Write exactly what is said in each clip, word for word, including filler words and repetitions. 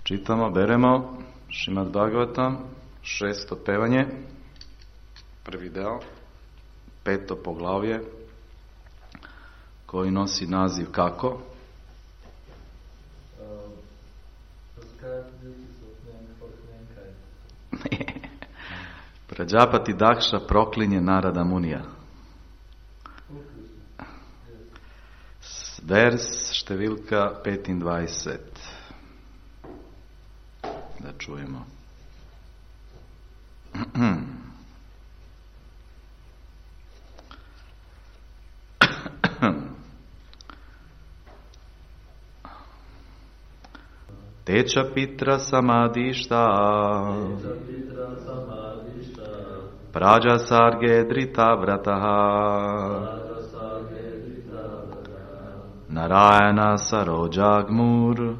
Čitamo, beremo Šrimad Bhagavatam, šesto pevanje, prvi deo, peto poglavlje, koji nosi naziv kako? Prađapati Dakša proklinje Narada Munija. Vers številka petindvajset. Da čujemo. Teča pitra samadišta Praja sarge drita vrataha Narayana sarojagmur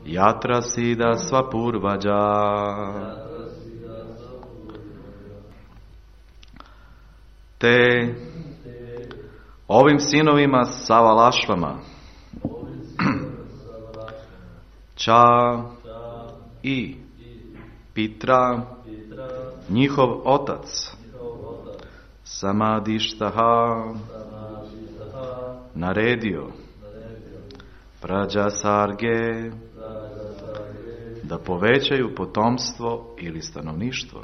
Yatra sida svapurvaja. Te ovim sinovima Savalašvama Ča i Pitra, njihov otac, Samadištaha, naredio Praja sarge da povećaju potomstvo ili stanovništvo.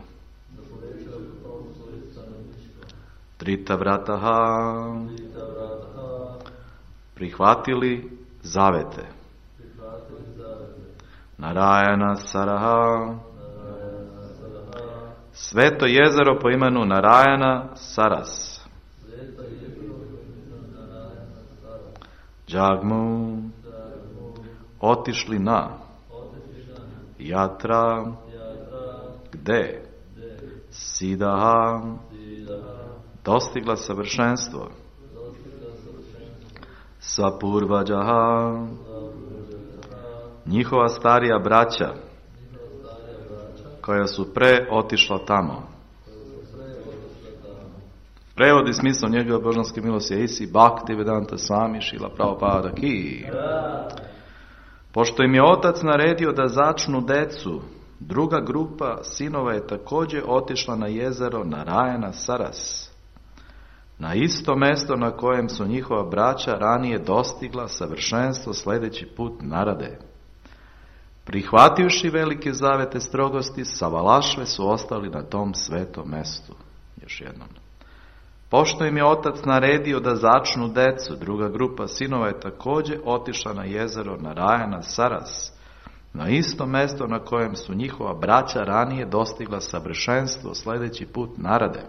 Trita vrataha, prihvatili zavete. Narayana Saraha, sveto jezero po imenu Narayana Saras. Džagmu, otišli na Jatra, gde Sidaha, dostigla savršenstvo. Svapurvađaha, njihova starija braća koja su pre otišla tamo. Prevodi smisao njegove božanske milosti je Isi Bhakti Vedanta Swami Šrila Prabhupada Ki. Pošto im je otac naredio da začnu decu, druga grupa sinova je također otišla na jezero Narayana Saras, na isto mesto na kojem su njihova braća ranije dostigla savršenstvo sledeći put Narade. Prihvativši velike zavete strogosti, Savalašve su ostali na tom svetom mestu. Još jednom. Pošto im je otac naredio da začnu decu, druga grupa sinova je također otišla na jezero Narayana Saras, na isto mesto na kojem su njihova braća ranije dostigla savršenstvo sledeći put Narade.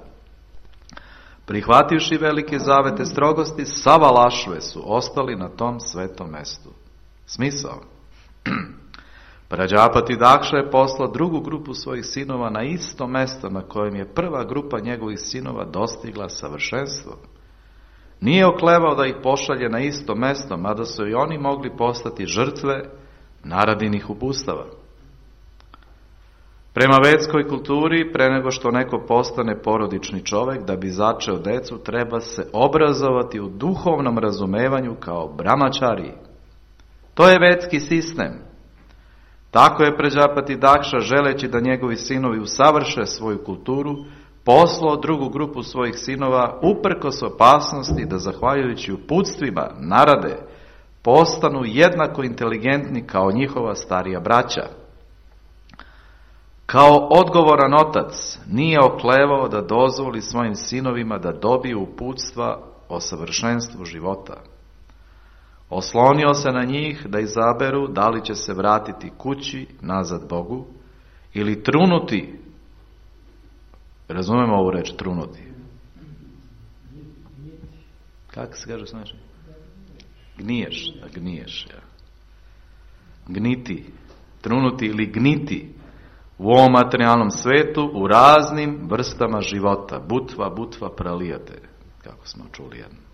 Prihvativši velike zavete strogosti, Savalašve su ostali na tom svetom mestu. Smisao. Prađapati Dakša je poslao drugu grupu svojih sinova na isto mesto na kojem je prva grupa njegovih sinova dostigla savršenstvo. Nije oklevao da ih pošalje na isto mesto, mada su i oni mogli postati žrtve naradinih upustava. Prema vedskoj kulturi, pre nego što neko postane porodični čovek, da bi začeo decu, treba se obrazovati u duhovnom razumevanju kao brahmačari. To je vedski sistem. Tako je Prađapati Dakša, želeći da njegovi sinovi usavrše svoju kulturu, poslao drugu grupu svojih sinova uprkos opasnosti da, zahvaljujući uputstvima Narade, postanu jednako inteligentni kao njihova starija braća. Kao odgovoran otac nije oklevao da dozvoli svojim sinovima da dobiju uputstva o savršenstvu života. Oslonio se na njih da izaberu da li će se vratiti kući nazad Bogu ili trunuti. Razumemo ovu reč trunuti? Kako se kaže znači? Gniješ, da gniješ. Ja. Gniti, trunuti ili gniti u ovom materijalnom svetu u raznim vrstama života. Butva, butva pralijate, kako smo čuli jedno.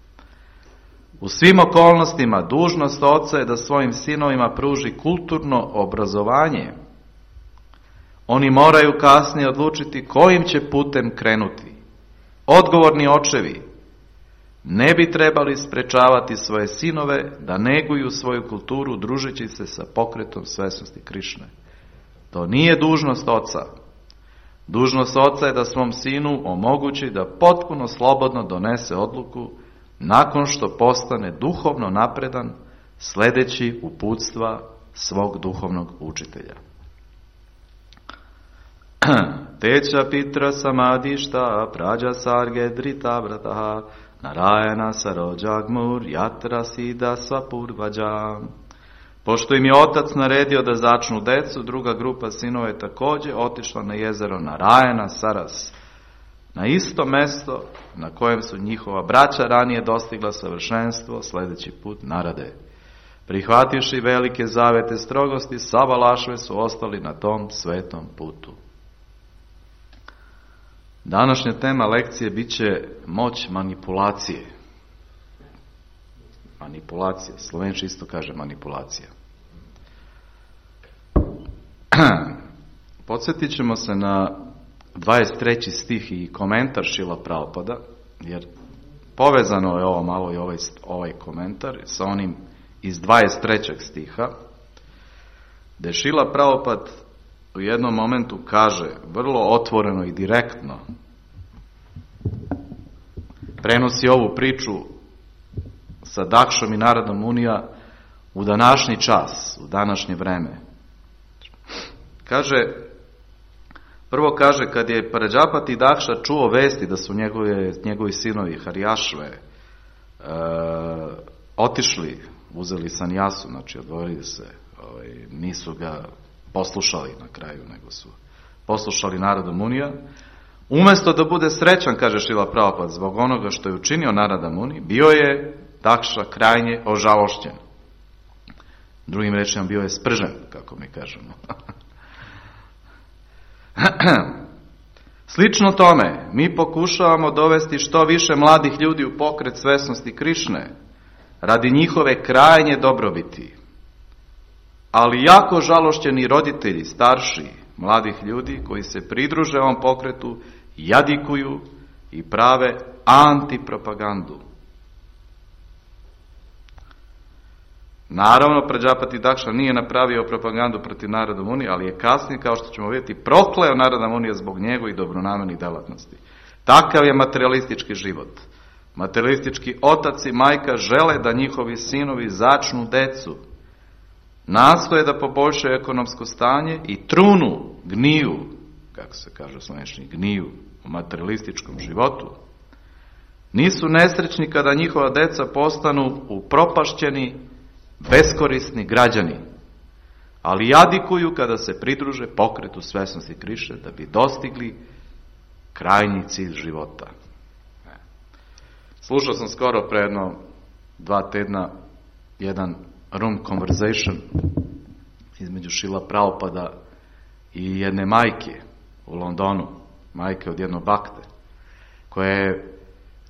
U svim okolnostima dužnost oca je da svojim sinovima pruži kulturno obrazovanje. Oni moraju kasnije odlučiti kojim će putem krenuti. Odgovorni očevi ne bi trebali sprečavati svoje sinove da neguju svoju kulturu družeći se sa pokretom svesnosti Krišne. To nije dužnost oca. Dužnost oca je da svom sinu omogući da potpuno slobodno donese odluku nakon što postane duhovno napredan, sledeći uputstva svog duhovnog učitelja. Teća pitra samadišta prađa sarge drita vrataha narajana sarođagmur jatra sida svapurvađa. Pošto im je otac naredio da začnu decu, druga grupa sinova je također otišla na jezero Narajana Saras, na isto mesto na kojem su njihova braća ranije dostigla savršenstvo, sledeći put narade. Prihvativši velike zavete strogosti, Savalašve su ostali na tom svetom putu. Današnja tema lekcije bit će moć manipulacije. Manipulacija. Slovenči isto kaže manipulacija. Podsjetit ćemo se na dvadeset treći stih i komentar Šrila Prabhupada, jer povezano je ovo malo i ovaj, ovaj komentar sa onim iz dvadeset trećeg stiha, gde Šrila Prabhupada u jednom momentu kaže vrlo otvoreno i direktno, prenosi ovu priču sa Dakšom i Narada Munija u današnji čas, u današnje vreme. Kaže, prvo kaže, kad je Prađapati Dakša čuo vesti da su njegove, njegovi sinovi Harijašve e, otišli, uzeli sanjasu, znači odvojili se, ovaj, nisu ga poslušali na kraju, nego su poslušali Narada Munija. Umjesto da bude srećan, kaže Šrila Prabhupada, zbog onoga što je učinio Narada Muni, bio je Dakša krajnje ožalošćen. Drugim rečima, bio je spržen, kako mi kažemo. Slično tome, mi pokušavamo dovesti što više mladih ljudi u pokret svesnosti Krišne, radi njihove krajnje dobrobiti. Ali jako žalošćeni roditelji, starši, mladih ljudi koji se pridruže ovom pokretu, jadikuju i prave antipropagandu. Naravno, Prađapati Dakša nije napravio propagandu protiv Narada Munije, ali je kasnije, kao što ćemo vidjeti, prokleo Narada Munija zbog njegovih dobronamjernih delatnosti. Takav je materialistički život. Materialistički otac i majka žele da njihovi sinovi začnu decu, nastoje da poboljšaju ekonomsko stanje i trunu, gniju, kako se kaže u slovenčini, gniju u materialističkom životu. Nisu nesrećni kada njihova deca postanu upropašćeni, beskorisni građani, ali jadikuju kada se pridruže pokretu svesnosti Krišne da bi dostigli krajnji cilj života. Slušao sam skoro pre jedno dva tedna jedan room conversation između Šrila Prabhupada i jedne majke u Londonu, majke od jednog bakte, koja je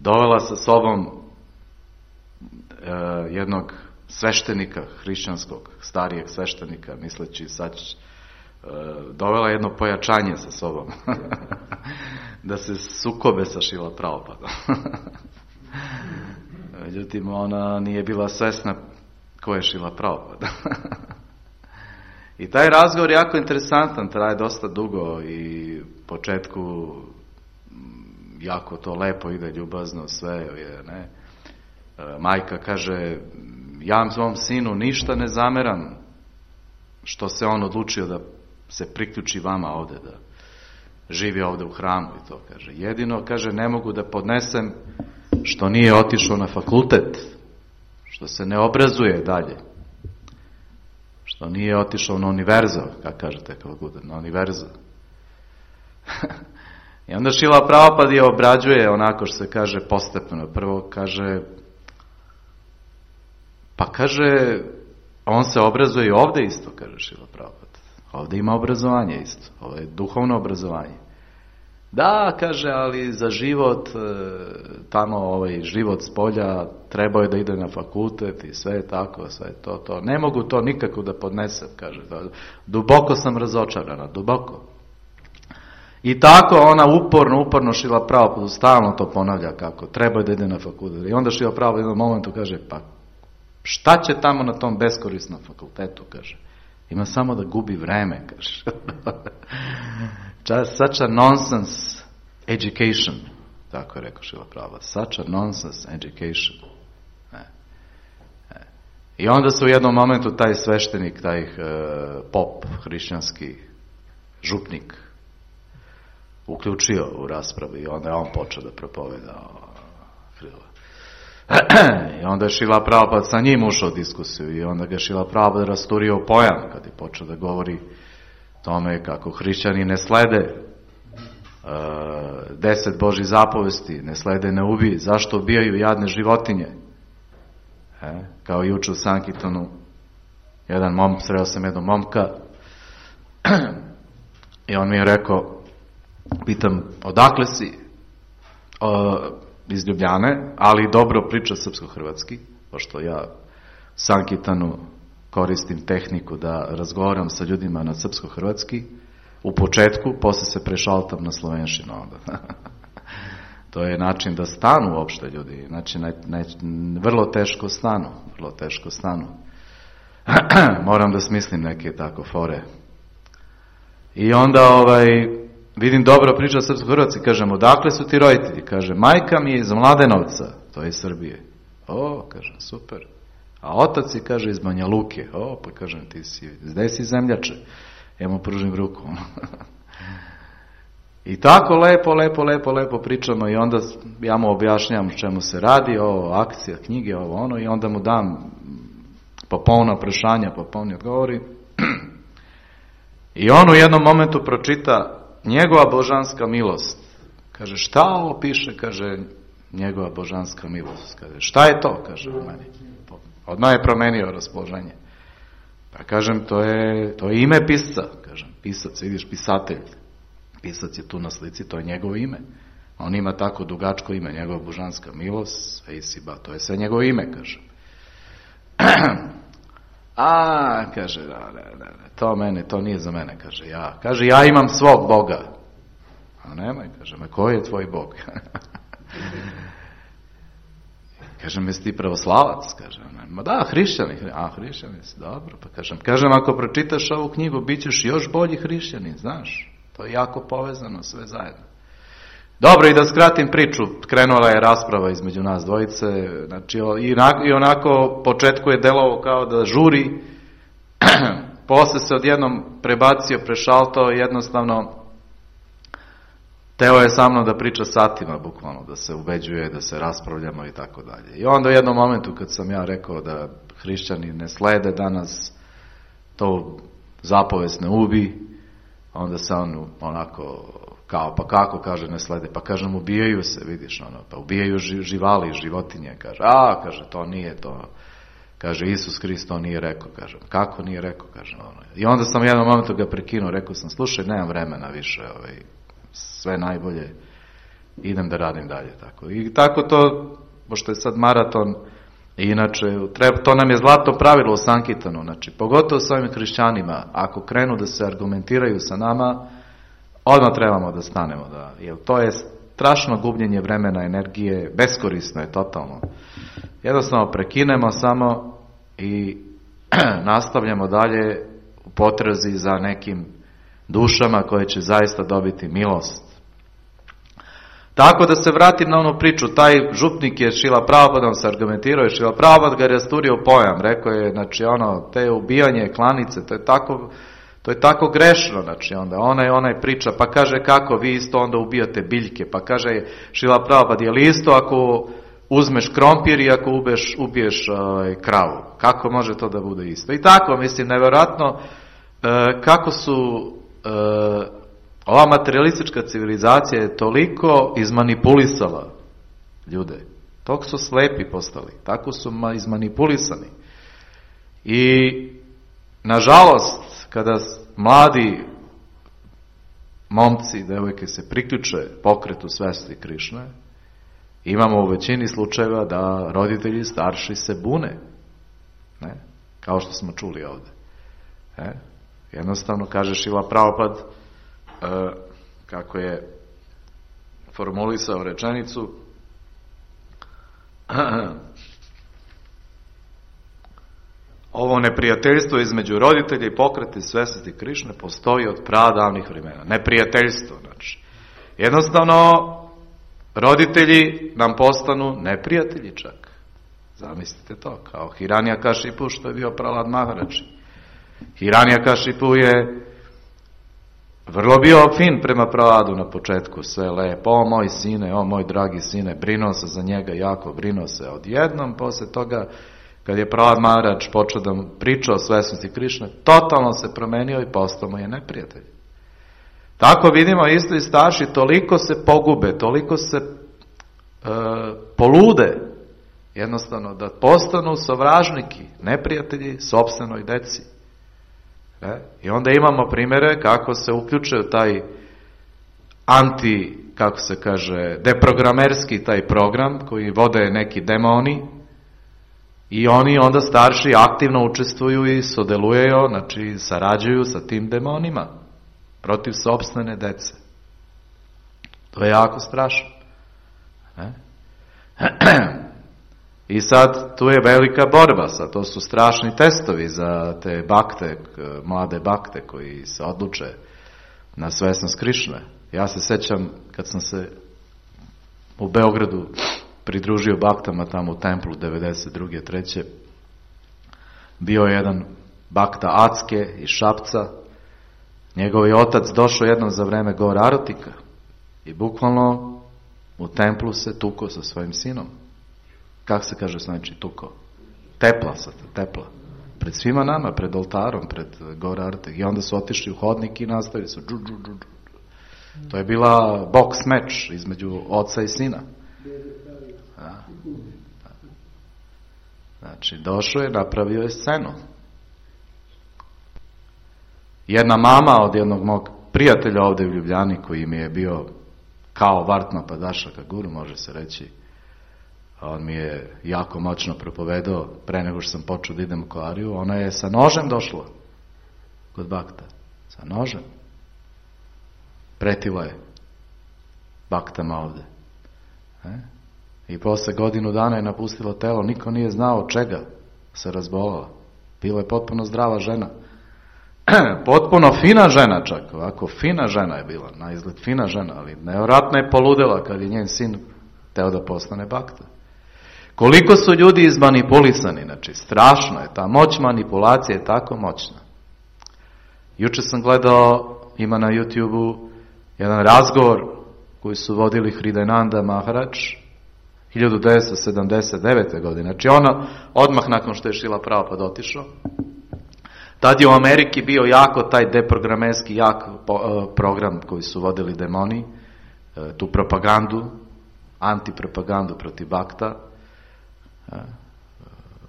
dovela sa sobom e, jednog sveštenika hrišćanskog, starijeg sveštenika, misleći sad e, dovela jedno pojačanje sa sobom da se sukobe sa Šrila Prabhupadom. Međutim, ona nije bila svesna ko je Šrila Prabhupada. I taj razgovor je jako interesantan, traje dosta dugo i u početku jako to lepo ide, ljubazno, sve je, ne. Majka kaže, ja svom sinu ništa ne zameram što se on odlučio da se priključi vama ovde, da živi ovde u hramu i to, kaže. Jedino, kaže, ne mogu da podnesem što nije otišao na fakultet, što se ne obrazuje dalje, što nije otišao na univerzu, kako kažete, kako bude, na univerzu. I onda Šrila Prabhupada je obrađuje onako što se kaže postepeno. Prvo kaže, pa kaže, on se obrazuje i ovde isto, kaže Šrila Prabhupada. Ovde ima obrazovanje isto, ovo je duhovno obrazovanje. Da, kaže, ali za život, tamo ovaj život s polja, trebao je da ide na fakultet i sve je tako, sve je to, to. Ne mogu to nikako da podnesem, kaže. Duboko sam razočarana, duboko. I tako ona uporno, uporno Šrila Prabhupada stalno to ponavlja kako treba da ide na fakultet. I onda Šrila Prabhupada u jednom momentu kaže, pa šta će tamo na tom beskorisnom fakultetu, kaže. Ima samo da gubi vreme, kaže. Such a nonsense education, tako je rekao Šrila Prabhupada. Such a nonsense education. E. E. I onda se u jednom momentu taj sveštenik, taj e, pop, hrišćanski župnik, uključio u raspravi i onda je on počeo da propoveda Krila. I onda je Šrila Prabhupada sa njim ušao u diskusiju i onda ga Šrila Prabhupada rasturio u pojam kad je počeo da govori tome kako hrišćani ne slede uh, deset Božih zapovesti, ne slede, ne ubij, zašto ubijaju jadne životinje. E, kao juče u Sankirtanu, jedan mom, sreo sam jednog momka i on mi je rekao, pitam, odakle si? O, iz Ljubljane, ali dobro priča srpsko-hrvatski, pošto ja u Sankirtanu koristim tehniku da razgovaram sa ljudima na srpsko-hrvatski, u početku, posle se prešaltam na slovenšinu onda. To je način da stanu uopšte ljudi, znači ne, ne, vrlo teško stanu, vrlo teško stanu. Moram da smislim neke tako fore. I onda ovaj, vidim dobro priča srpsko-hrvatski, kažem, odakle su ti roditelji? Kaže, majka mi je iz Mladenovca, to je iz Srbije. O, kažem, super. A otac je, kaže, iz Banja Luke. O, pa kažem, ti si, gde si zemljače? Ja mu pružim ruku. I tako lepo, lepo, lepo, lepo pričamo i onda ja mu objašnjam čemu se radi, ovo, akcija, knjige, ovo, ono, i onda mu dam popolna prešanja, popolni odgovori. I on u jednom momentu pročita njegova božanska milost. Kaže, šta ovo piše? Kaže, njegova božanska milost. Kaže, šta je to? Kaže u meni. Odmah je promenio raspoloženje. Pa kažem, to je, to je ime pisca. Kažem, pisac, vidiš, pisatelj. Pisac je tu na slici, to je njegovo ime. On ima tako dugačko ime, njegova božanska milost, Eisiba, to je sve njegovo ime, kažem. A, kaže, da, da, da, to mene, to nije za mene, kaže, ja. Kaže, ja imam svog Boga. A nemoj, kaže, ma koji je tvoj Bog? Kažem, jesi ti pravoslavac? Kažem, ma da, hrišćani. A, hrišćani si, dobro. Pa kažem, kažem, ako pročitaš ovu knjigu, bit ćeš još bolji hrišćanin, znaš. To je jako povezano sve zajedno. Dobro, i da skratim priču, krenula je rasprava između nas dvojice, znači i onako početku je delovao kao da žuri, posle se odjednom prebacio, prešaltao, jednostavno teo je sa mnom da priča satima, bukvalno, da se ubeđuje, da se raspravljamo i tako dalje. I onda u jednom momentu kad sam ja rekao da hrišćani ne slede danas, to zapovest ne ubi, onda se on onako kao, pa kako, kaže, ne slede, pa kažem, ubijaju se, vidiš, ono, pa ubijaju živali, životinje, kaže, a, kaže, to nije to, kaže, Isus Hrist to nije rekao, kažem, kako nije rekao, kaže, ono, i onda sam u jednom momentu ga prekinuo, rekao sam, slušaj, nemam vremena više, ovaj, sve najbolje, idem da radim dalje, tako, i tako to, pošto je sad maraton, i inače, treba, to nam je zlato pravilo u Sankirtanu, znači, pogotovo s ovim hrišćanima, ako krenu da se argumentiraju sa nama, odmah trebamo da stanemo, da, jer to je strašno gubljenje vremena, energije, beskorisno je totalno. Jednostavno prekinemo samo i nastavljamo dalje u potrazi za nekim dušama koje će zaista dobiti milost. Tako da se vratim na onu priču, taj župnik je Šrila Prabhupádom se argumentirao i Šrila Prabhupád ga je rasturio pojam, rekao je, znači ono, te ubijanje klanice, to je tako, to je tako grešno, znači onda onaj, onaj priča, pa kaže kako vi isto onda ubijate biljke, pa kaže Šrila Prabhupád, je li isto ako uzmeš krompir i ako ubiješ, ubiješ uh, kravu, kako može to da bude isto? I tako, mislim, nevjerojatno uh, kako su uh, ova materialistička civilizacija je toliko izmanipulisala ljude. Toliko su slepi postali. Tako su izmanipulisani. I, nažalost, kada mladi momci, devojke se priključe pokretu svesti Krišne, imamo u većini slučajeva da roditelji starši se bune. Ne? Kao što smo čuli ovde. E? Jednostavno, kaže Šrila Prabhupád, kako je formulisao rečenicu, ovo neprijateljstvo između roditelja i pokreta i svesnosti Krišne postoji od pradavnih vremena. Neprijateljstvo, znači. Jednostavno, roditelji nam postanu neprijatelji čak. Zamislite to, kao Hiranyakašipu što je bio Prahlad Maharaji. Hiranyakašipu je vrlo bio fin prema Prahladu na početku, sve lepo, o moj sine, o moj dragi sine, brinuo se za njega jako, brinuo se. Odjednom, posle toga, kad je Prahlad Maharaji počeo da mu priča o svesnosti Krišne, totalno se promenio i postao mu je neprijatelj. Tako vidimo isto i starši, toliko se pogube, toliko se e, polude, jednostavno da postanu sovražniki, neprijatelji sopstvenoj deci. E? I onda imamo primjere kako se uključe u taj anti, kako se kaže, deprogramerski taj program koji vode neki demoni i oni onda starši aktivno učestvuju i sodeluju, znači sarađuju sa tim demonima protiv sopstvene dece. To je jako strašno. E? I sad tu je velika borba, sad to su strašni testovi za te bakte, mlade bakte koji se odluče na svesnost Krišne. Ja se sećam kad sam se u Beogradu pridružio baktama tamo u templu devedeset druge treće bio je jedan bakta Acke iz Šapca. Njegov je otac došao jednom za vreme Gor Arotika i bukvalno u templu se tuko sa svojim sinom. Kako se kaže znači tuko? Tepla se, tepla. Pred svima nama, pred oltarom, pred Gor Arotik. I onda su otišli u hodnik i nastavili su. Džu, džu, džu. To je bila boks meč između oca i sina. Da. Znači, došao je, napravio je scenu. Jedna mama od jednog mog prijatelja ovde u Ljubljani, koji mi je bio kao Vartma Padašaka guru, može se reći, on mi je jako moćno propovedao pre nego što sam počeo da idem u Kolariju, ona je sa nožem došla kod bakta. Sa nožem. Pretila je baktama ovde. E? I posle godinu dana je napustila telo, niko nije znao od čega se razbolala. Bila je potpuno zdrava žena. Potpuno fina žena čak, ovako fina žena je bila, na izgled fina žena, ali nevjerojatno je poludela kad je njen sin teo da postane bakta. Koliko su ljudi izmanipulisani, znači strašno je, ta moć manipulacije je tako moćna. Juče sam gledao, ima na YouTube-u jedan razgovor koji su vodili Hridayananda Maharaj hiljadu devetsto sedamdeset devete. godine, znači ono odmah nakon što je Šrila Prabhupada otišao. Tad je u Ameriki bio jako taj deprogramerski jak program koji su vodili demoni, tu propagandu, antipropagandu protiv bakta.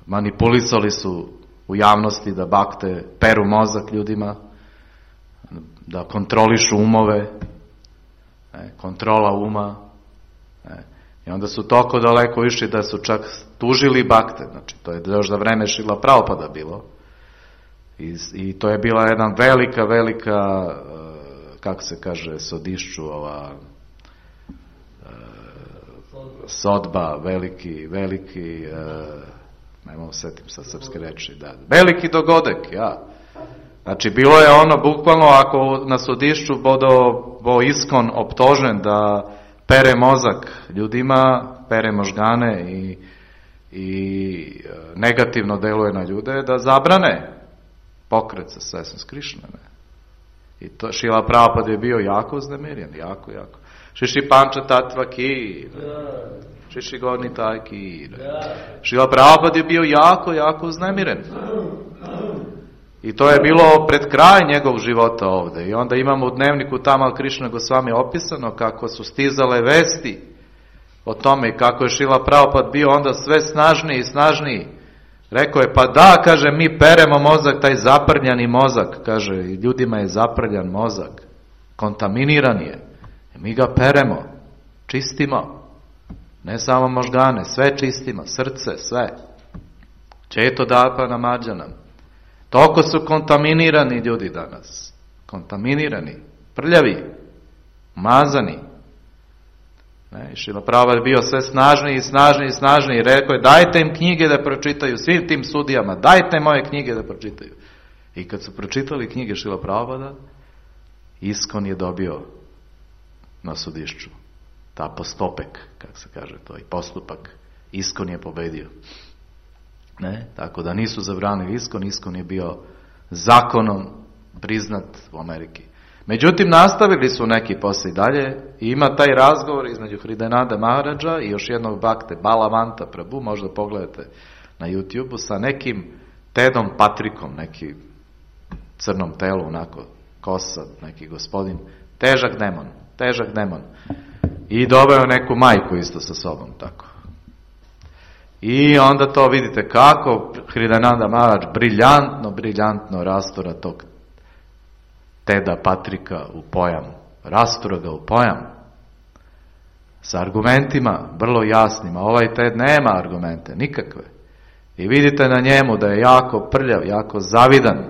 Manipulisali su u javnosti da bakte peru mozak ljudima, da kontrolišu umove, kontrola uma. I onda su toliko daleko išli da su čak tužili bakte, znači to je još za vreme Šrila Prabhupada bilo. I, I to je bila jedna velika, velika, kako se kaže, sodišću, ova sodba, veliki, veliki, ne mogu setim sa srpske reči, da, veliki dogodek, ja. Znači, bilo je ono, bukvalno, ako na sodišću bodo bo iskon optožen da pere mozak ljudima, pere možgane i, i negativno deluje na ljude, da zabrane pokret sa svesnost Krišne. I to Šrila Prabhupada je bio jako uznemiren, jako, jako. Šiši Panča Tatva Ki, Šiši Gorni Taj Ki. Šrila Prabhupada je bio jako, jako uznemiren. I to je bilo pred kraj njegovog života ovde. I onda imamo u dnevniku Tamal Krišna Gosvami opisano kako su stizale vesti o tome i kako je Šrila Prabhupada bio onda sve snažniji i snažniji. Rekao je, pa da, kaže, mi peremo mozak, taj zaprljani mozak, kaže, i ljudima je zaprljan mozak, kontaminiran je. I mi ga peremo, čistimo, ne samo možgane, sve čistimo, srce, sve. Četo dapa namađanam. Toliko su kontaminirani ljudi danas, kontaminirani, prljavi. Mazani. Ne, Šrila Prabhupada je bio sve snažniji i snažniji i snažniji i rekao je dajte im knjige da pročitaju, svim tim sudijama, dajte moje knjige da pročitaju. I kad su pročitali knjige Šrila Prabhupada, Iskon je dobio na sudišću. Ta postopek, kako se kaže to, i postupak. Iskon je pobedio. Ne? Tako da nisu zabranili Iskon, Iskon je bio zakonom priznat u Ameriki. Međutim, nastavili su neki posle i dalje i ima taj razgovor između Hridayananda Maharadža i još jednog bakte, Balavanta Prabhu, možda pogledate na YouTube-u, sa nekim Tedom Patrikom, neki crnom telu, onako, kosa, neki gospodin, težak demon, težak demon. I doveo neku majku isto sa sobom, tako. I onda to vidite kako Hridayananda Maharadž briljantno, briljantno rastura tog Teda Patrika u pojam. Rastura ga u pojam. Sa argumentima, vrlo jasnima. Ovaj Ted nema argumente, nikakve. I vidite na njemu da je jako prljav, jako zavidan.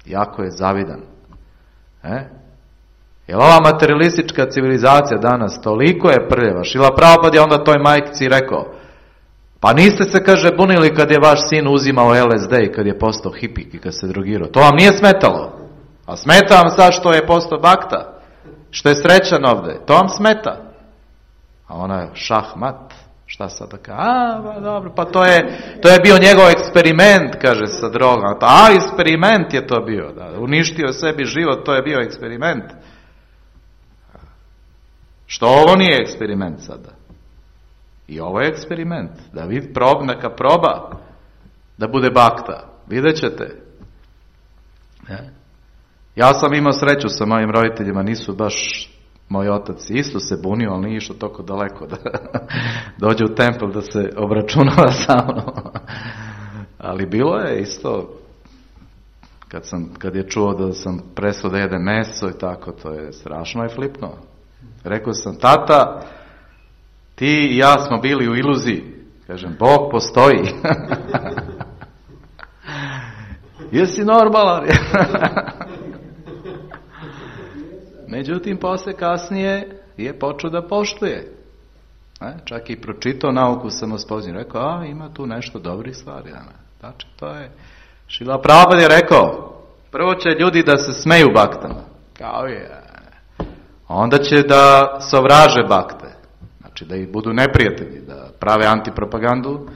Jako je zavidan. E? Jer ova materialistička civilizacija danas toliko je prljava. Šrila Prabhupada je onda toj majkici rekao, pa niste se, kaže, bunili kad je vaš sin uzimao L S D i kad je postao hipik i kad se drogirao. To vam nije smetalo. A smeta vam sad što je postao bakta, što je srećan ovde. To vam smeta. A ona je šahmat. Šta sad da kaže? A, ba, dobro, pa to je, to je bio njegov eksperiment, kaže, sa drogom. A, eksperiment je to bio. Da, uništio sebi život, to je bio eksperiment. Što ovo nije eksperiment sada? I ovo je eksperiment. Da vid, prob, neka proba da bude bakta. Vidjet ćete. Ne? Ja sam imao sreću sa mojim roditeljima, nisu baš, moj otac isto se bunio, ali nije išao toliko daleko da dođe u templ da se obračunava sa mnom. Ali bilo je isto, kad, sam, kad je čuo da sam prestao da jedem meso i tako, to je strašno je flipno. Rekao sam, tata, ti i ja smo bili u iluziji. Kažem, Bog postoji. Jesi normalan? Međutim, posle kasnije je počeo da poštuje. E, čak i pročitao nauku samospoznanja. Rekao, a ima tu nešto dobrih stvari. Znači, to je... Šrila Prabhupada je rekao, prvo će ljudi da se smeju baktama. Kao je. Onda će da sovraže bakte. Znači, da ih budu neprijatelji, da prave antipropagandu.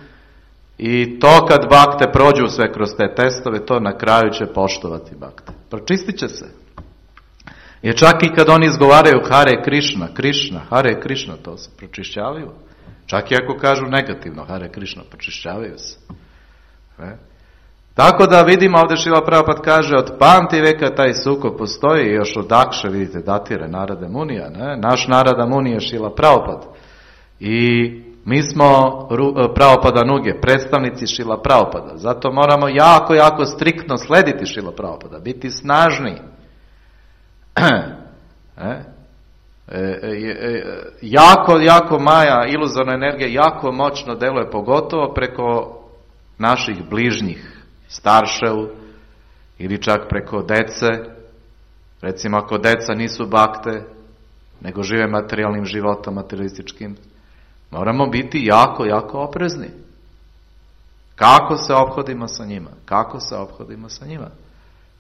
I to kad bakte prođu sve kroz te testove, to na kraju će poštovati bakte. Pročistit će se. Jer čak i kad oni izgovaraju Hare Krishna, Krishna, Hare Krishna, to se pročišćavaju. Čak i ako kažu negativno Hare Krishna, pročišćavaju se. E? Tako da vidimo ovdje Šrila Prabhupada kaže, od pamti veka taj sukob postoji, još od Akše, vidite, datire Narada Munija, ne? Naš Narada Munija je Šrila Prabhupada. I mi smo Prabhupada Nuge, predstavnici Šrila Prabhupada. Zato moramo jako, jako striktno slediti Šrila Prabhupada, biti snažni. E? E, e, e, jako, jako Maja, iluzorna energija, jako moćno deluje, pogotovo preko naših bližnjih, staršev, ili čak preko dece. Recimo, ako deca nisu bakte, nego žive materijalnim životom, materialističkim, moramo biti jako, jako oprezni. Kako se ophodimo sa njima? Kako se ophodimo sa njima?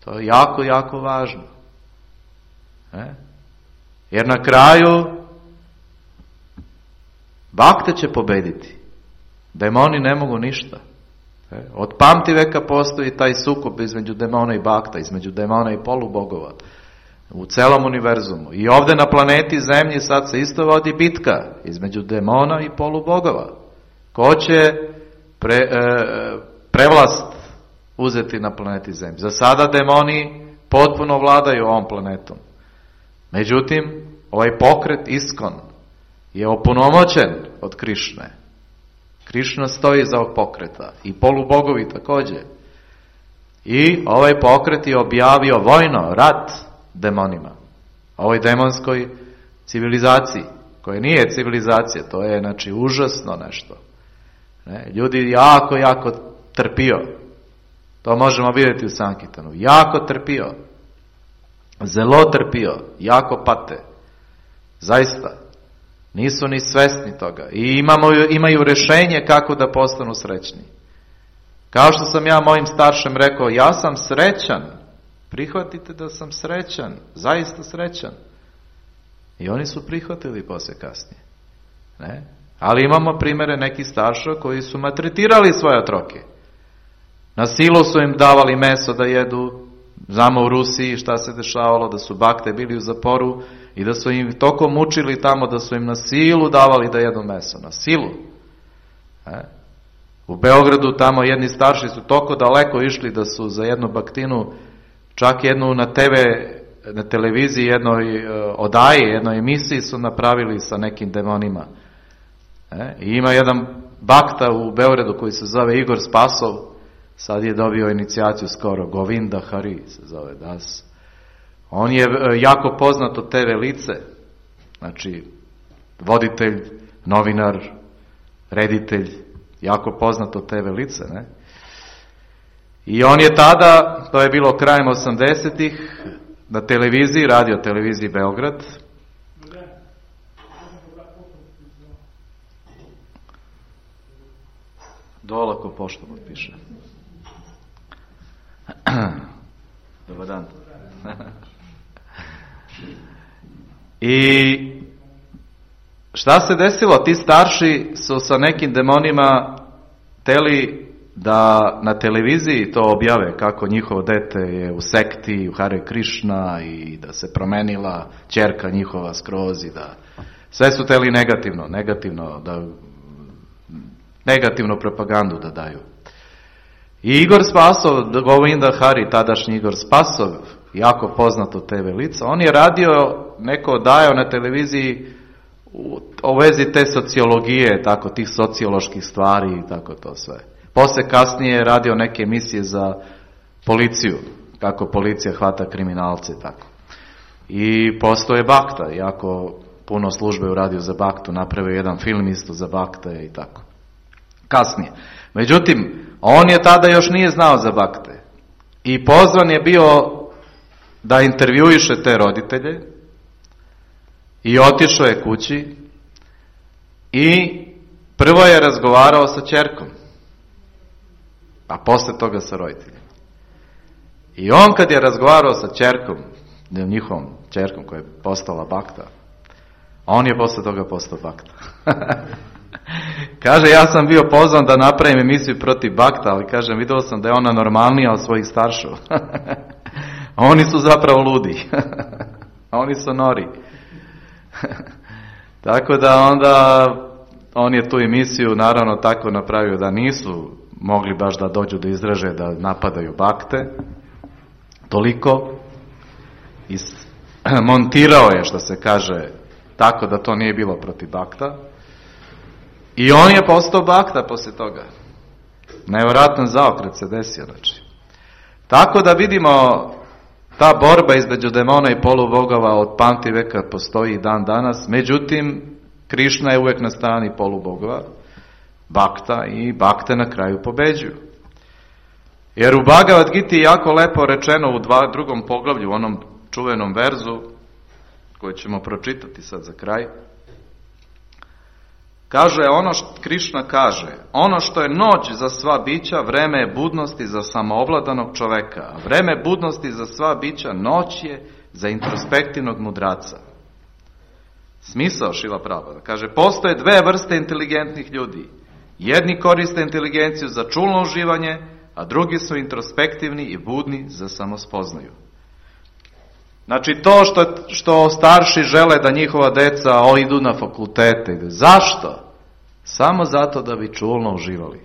To je jako, jako važno. E? Jer na kraju bakte će pobediti. Demoni ne mogu ništa. E? Od pamti veka postoji taj sukob između demona i bakta, između demona i polubogova. U celom univerzumu. I ovdje na planeti Zemlji sad se isto vodi bitka između demona i polubogova. Ko će pre, e, prevlast uzeti na planeti Zemlji? Za sada demoni potpuno vladaju ovom planetom. Međutim, ovaj pokret Iskon je opunomoćen od Krišne. Krišna stoji iza ovog pokreta i polubogovi također. I ovaj pokret je objavio vojno, rat demonima. Ovoj demonskoj civilizaciji, koja nije civilizacija, to je znači užasno nešto. Ne? Ljudi jako, jako trpio. To možemo vidjeti u Sankirtanu. Jako trpio. Zelo trpio. Jako pate. Zaista. Nisu ni svesni toga. I imamo, imaju rješenje kako da postanu srećni. Kao što sam ja mojim staršem rekao, ja sam srećan. Prihvatite da sam srećan. Zaista srećan. I oni su prihvatili poslije kasnije. Ne? Ali imamo primjere nekih starša koji su maltretirali svoje otroke. Na silu su im davali meso da jedu. Znamo u Rusiji šta se dešavalo, da su bakte bili u zaporu i da su im toko mučili tamo, da su im na silu davali da jedu meso. Na silu. Ne? U Beogradu tamo jedni starši su toko daleko išli da su za jednu baktinu, čak jednu na te ve, na televiziji, jednoj odaji, jednoj emisiji su napravili sa nekim demonima. E? I ima jedan bakta u Beogradu koji se zove Igor Spasov, sad je dobio inicijaciju skoro, Govinda Hari se zove das. On je jako poznato te ve lice, znači voditelj, novinar, reditelj, jako poznato te ve lice, ne? I on je tada, to je bilo krajem osamdesetih, na televiziji, radio televiziji Beograd. Dolako pošto potpiše. Dobar dan. I šta se desilo? Ti starši su sa nekim demonima teli da na televiziji to objave kako njihovo dete je u sekti, u Hare Krišna i da se promenila ćerka njihova skroz i da sve su teli negativno, negativno da negativnu propagandu da daju. I Igor Spasov, Govinda Hari, tadašnji Igor Spasov, jako poznato te ve lice, on je radio, neko dajao na televiziji u, u vezi te sociologije, tako tih socioloških stvari i tako to sve. Poslije kasnije je radio neke emisije za policiju, kako policija hvata kriminalce i tako. I postoje bakta, jako puno službe uradio za baktu, napravio jedan film isto za bakte i tako. Kasnije. Međutim, on je tada još nije znao za bakte. I pozvan je bio da intervjuiše te roditelje i otišao je kući i prvo je razgovarao sa ćerkom, a posle toga sa roditeljima. I on kad je razgovarao sa ćerkom, njihovom ćerkom koja je postala bakta, on je posle toga postao bakta. Kaže, ja sam bio pozvan da napravim emisiju protiv bakta, ali kažem, vidio sam da je ona normalnija od svojih starševa. Oni su zapravo ludi. Oni su nori. Tako da onda on je tu emisiju naravno tako napravio da nisu mogli baš da dođu do izražaja da napadaju bakte. Toliko. I montirao je, što se kaže, tako da to nije bilo protiv bakta. I on je postao bakta poslije toga. Nevjerojatan zaokret se desio. Znači. Tako da vidimo, ta borba između demona i polubogova od pamti veka postoji i dan danas. Međutim, Krišna je uvijek na strani polubogova, bakta, i bakte na kraju pobeđuju. Jer u Bhagavad Giti je jako lepo rečeno u dva, drugom poglavlju, u onom čuvenom verzu, koji ćemo pročitati sad za kraj. Kaže, ono što Krišna kaže, ono što je noć za sva bića, vreme je budnosti za samoovladanog čoveka, a vreme budnosti za sva bića, noć je za introspektivnog mudraca. Smisao Šrila Prabhupada. Kaže, postoje dve vrste inteligentnih ljudi. Jedni koriste inteligenciju za čulno uživanje, a drugi su introspektivni i budni za samospoznaju. Znači to što, što starši žele da njihova deca o, idu na fakultete. Zašto? Samo zato da bi čulno uživali.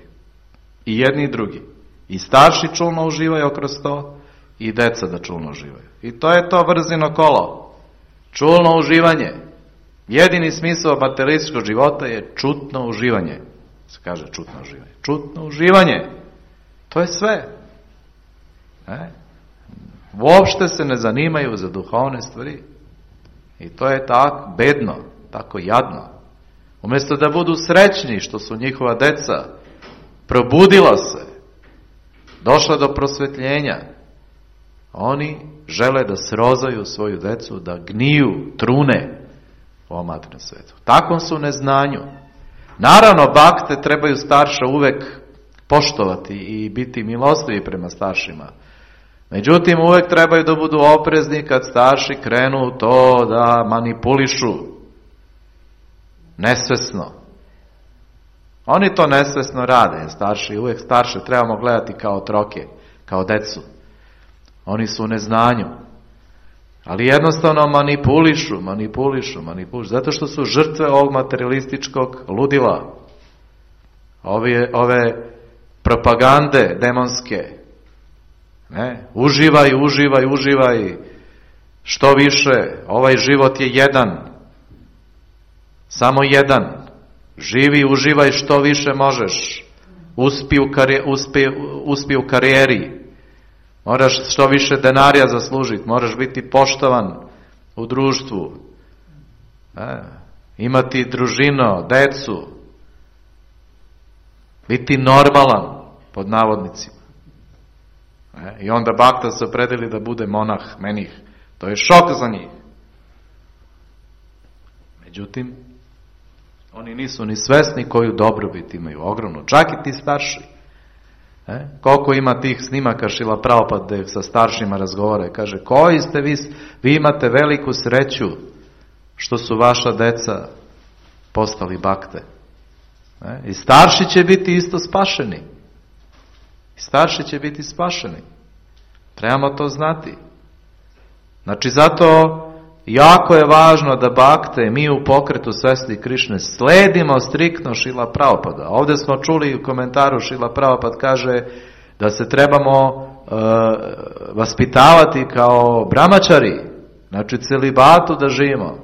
I jedni i drugi. I starši čulno uživaju kroz to i deca da čulno uživaju. I to je to vrzino kolo. Čulno uživanje. Jedini smisao materialističkog života je čutno uživanje. Se kaže čutno uživanje. Čutno uživanje. To je sve. E? Uopšte se ne zanimaju za duhovne stvari. I to je tako bedno, tako jadno. Umjesto da budu srećni što su njihova deca probudila se, došla do prosvetljenja, oni žele da srozaju svoju decu, da gniju, trune u ovom materijalnom svijetu. Takvom su neznanju. Naravno, bakte trebaju starša uvek poštovati i biti milostivi prema staršima. Međutim, uvek trebaju da budu oprezni kad starši krenu to da manipulišu. Nesvesno. Oni to nesvesno rade. Starši, uvek starše trebamo gledati kao otroke, kao decu. Oni su u neznanju. Ali jednostavno manipulišu, manipulišu, manipulišu. Zato što su žrtve ovog materialističkog ludila. Ove, ove propagande demonske. Ne? Uživaj, uživaj, uživaj. Što više, ovaj život je jedan. Samo jedan. Živi, uživaj što više možeš. Uspi u, kari, uspi, uspi u karijeri. Moraš što više denarija zaslužiti. Moraš biti poštovan u društvu. E, imati družino, decu. Biti normalan, pod navodnicima. E, I onda bakta se opredeli da bude monah, menih. To je šok za njih. Međutim, oni nisu ni svesni koju dobrobit imaju, ogromno. Čak i ti starši. E? Koliko ima tih snimaka Šrila Prabhupada gde sa staršima razgovara. Kaže, koji ste vi, vi imate veliku sreću što su vaša deca postali bakte. E? I starši će biti isto spašeni. I starši će biti spašeni. Trebamo to znati. Znači, zato jako je važno da bakte, mi u pokretu Svesti Krišne, sledimo striktno Šrila Prabhupada. Ovdje smo čuli u komentaru Šrila Prabhupada kaže da se trebamo uh, vaspitavati kao brahmačari, znači celibatu da živimo.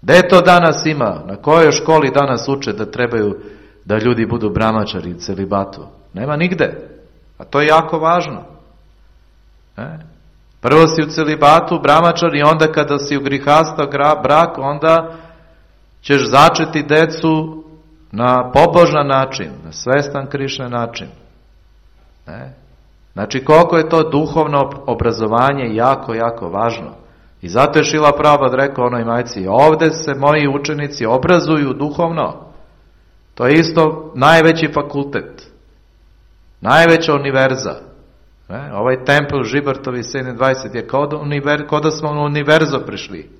Gde to danas ima? Na kojoj školi danas uče da trebaju da ljudi budu brahmačari i celibatu? Nema nigde. A to je jako važno. Ne? Prvo si u celibatu, brahmačar, i onda kada si u grihasta brak, onda ćeš začeti decu na pobožan način, na svestan Krišna način. Ne? Znači, koliko je to duhovno obrazovanje jako, jako važno. I zato je Šrila Prabhupada rekao onoj majci, ovde se moji učenici obrazuju duhovno. To je isto najveći fakultet. Najveća univerza. Ne? Ovaj tempel Žibartovi sedamdvadeset je kao da, univer, kao da smo u univerzo prišli.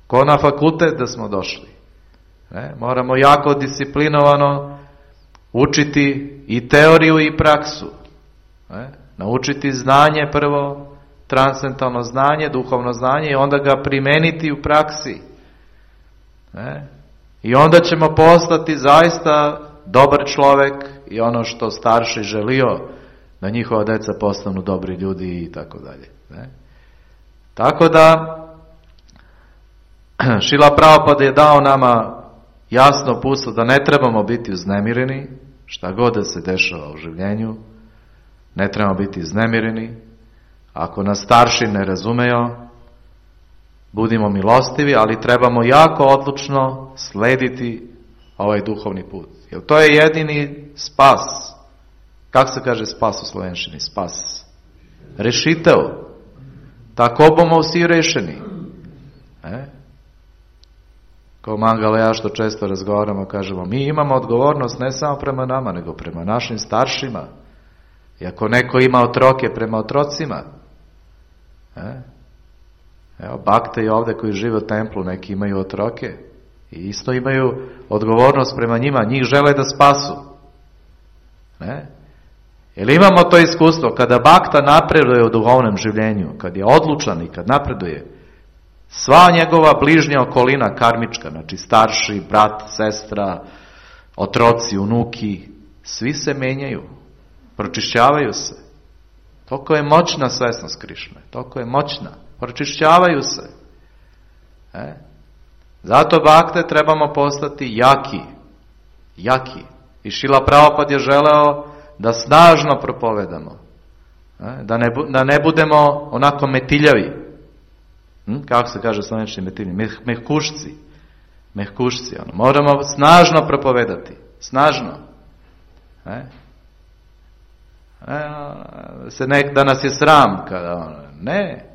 Kao na fakultet da smo došli. Ne? Moramo jako disciplinovano učiti i teoriju i praksu. Ne? Naučiti znanje prvo, transcendentalno znanje, duhovno znanje, i onda ga primeniti u praksi. Ne? I onda ćemo postati zaista dobar čovek i ono što starši želio, da njihova deca postanu dobri ljudi i tako dalje. Ne? Tako da Šrila Prabhupada je dao nama jasno uputstvo da ne trebamo biti uznemireni, šta god da se dešava u življenju, ne trebamo biti uznemireni. Ako nas starši ne razumeju, budimo milostivi, ali trebamo jako odlučno slediti ovaj duhovni put. Jer to je jedini spas. Kako se kaže spas u slovenščini? Spas. Rešitev. Tako bomo vsi rešeni. E? Kao Mangala ja što često razgovaramo, kažemo, mi imamo odgovornost ne samo prema nama, nego prema našim staršima. I ako neko ima otroke, prema otrocima. E? Evo, bakte i ovde koji žive u templu, neki imaju otroke. I isto imaju odgovornost prema njima. Njih žele da spasu. Ne? Jer imamo to iskustvo, kada bakta napreduje u duhovnom življenju, kad je odlučan i kad napreduje, sva njegova bližnja okolina karmička, znači starši, brat, sestra, otroci, unuki, svi se menjaju, pročišćavaju se. Toliko je moćna svesnost Krišne, toliko je moćna, pročišćavaju se. E? Zato bakte trebamo postati jaki, jaki. I Šrila Prabhupada je želeo da snažno propovedamo. Da ne, da ne budemo onako metiljavi. Hm? Kako se kaže slovenčni metiljavi? Meh, mehkušci. Mehkušci. Ono. Moramo snažno propovedati. Snažno. E? E, se nek, da nas je sram. Kada, ono. Ne.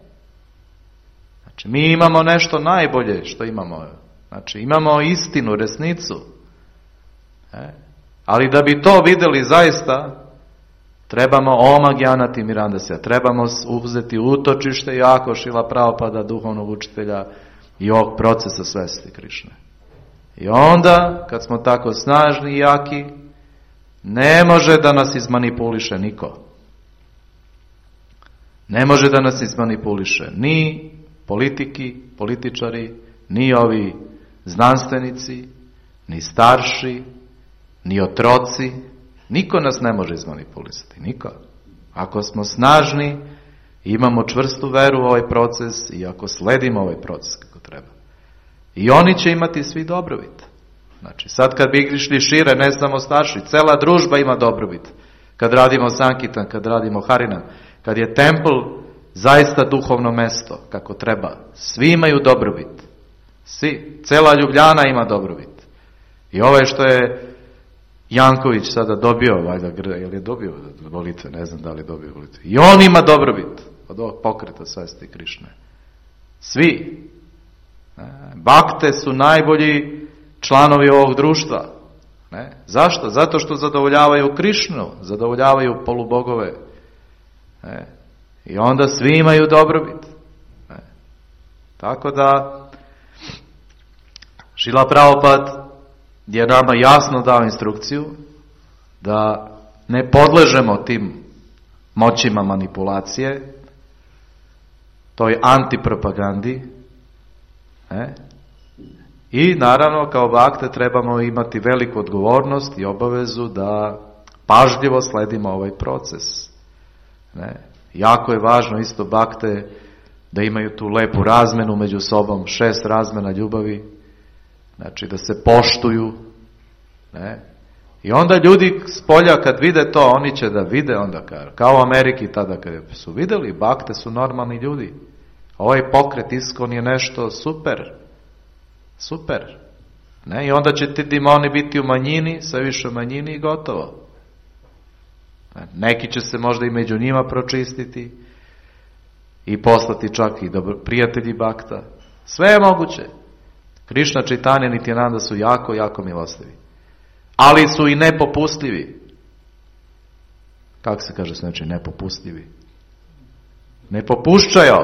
Znači, mi imamo nešto najbolje što imamo Znači, imamo istinu, resnicu. E? Ali da bi to vidjeli zaista, trebamo Oma Gyana Timirandasya, trebamo uzeti utočište jako Šrila Prabhupada, duhovnog učitelja i ovog procesa svesti Krišne. I onda, kad smo tako snažni i jaki, ne može da nas izmanipuliše niko. Ne može da nas izmanipuliše ni politiki, političari, ni ovi znanstvenici, ni starši, ni otroci. Niko nas ne može izmanipulisati, niko. Ako smo snažni, imamo čvrstu veru u ovaj proces i ako sledimo ovaj proces kako treba. I oni će imati svi dobrobit. Znači, sad kad bi išli šire, ne samo starši, cela družba ima dobrobit. Kad radimo Sankitan, kad radimo Harinan, kad je templ zaista duhovno mesto, kako treba. Svi imaju dobrobit. Svi. Cela Ljubljana ima dobrobit. I ovo što je Janković sada dobio, valjda, je li je dobio molitve, ne znam da li je dobio molitve. I on ima dobrobit od ovog pokreta svesti Krišne. Svi. Bakte su najbolji članovi ovog društva. Ne? Zašto? Zato što zadovoljavaju Krišnu, zadovoljavaju polubogove. Ne? I onda svi imaju dobrobit. Ne? Tako da Šrila Prabhupada je nama jasno dao instrukciju da ne podležemo tim moćima manipulacije, toj antipropagandi. Ne? I naravno kao bakte trebamo imati veliku odgovornost i obavezu da pažljivo sledimo ovaj proces. Ne? Jako je važno isto bakte da imaju tu lepu razmenu među sobom, šest razmena ljubavi, znači da se poštuju. Ne? I onda ljudi s polja kad vide to, oni će da vide onda, kao u Ameriki tada kad su vidjeli, bakte su normalni ljudi. Ovaj pokret Iskon je nešto super. Super. Ne? I onda će ti demoni biti u manjini, sve više u manjini i gotovo. Neki će se možda i među njima pročistiti i poslati čak i dobro, prijatelji bakta. Sve je moguće. Krišna, Čitanja, Nityananda su jako, jako milostivi. Ali su i nepopustljivi. Kako se kaže znači nepopustljivi? Ne popušćaju.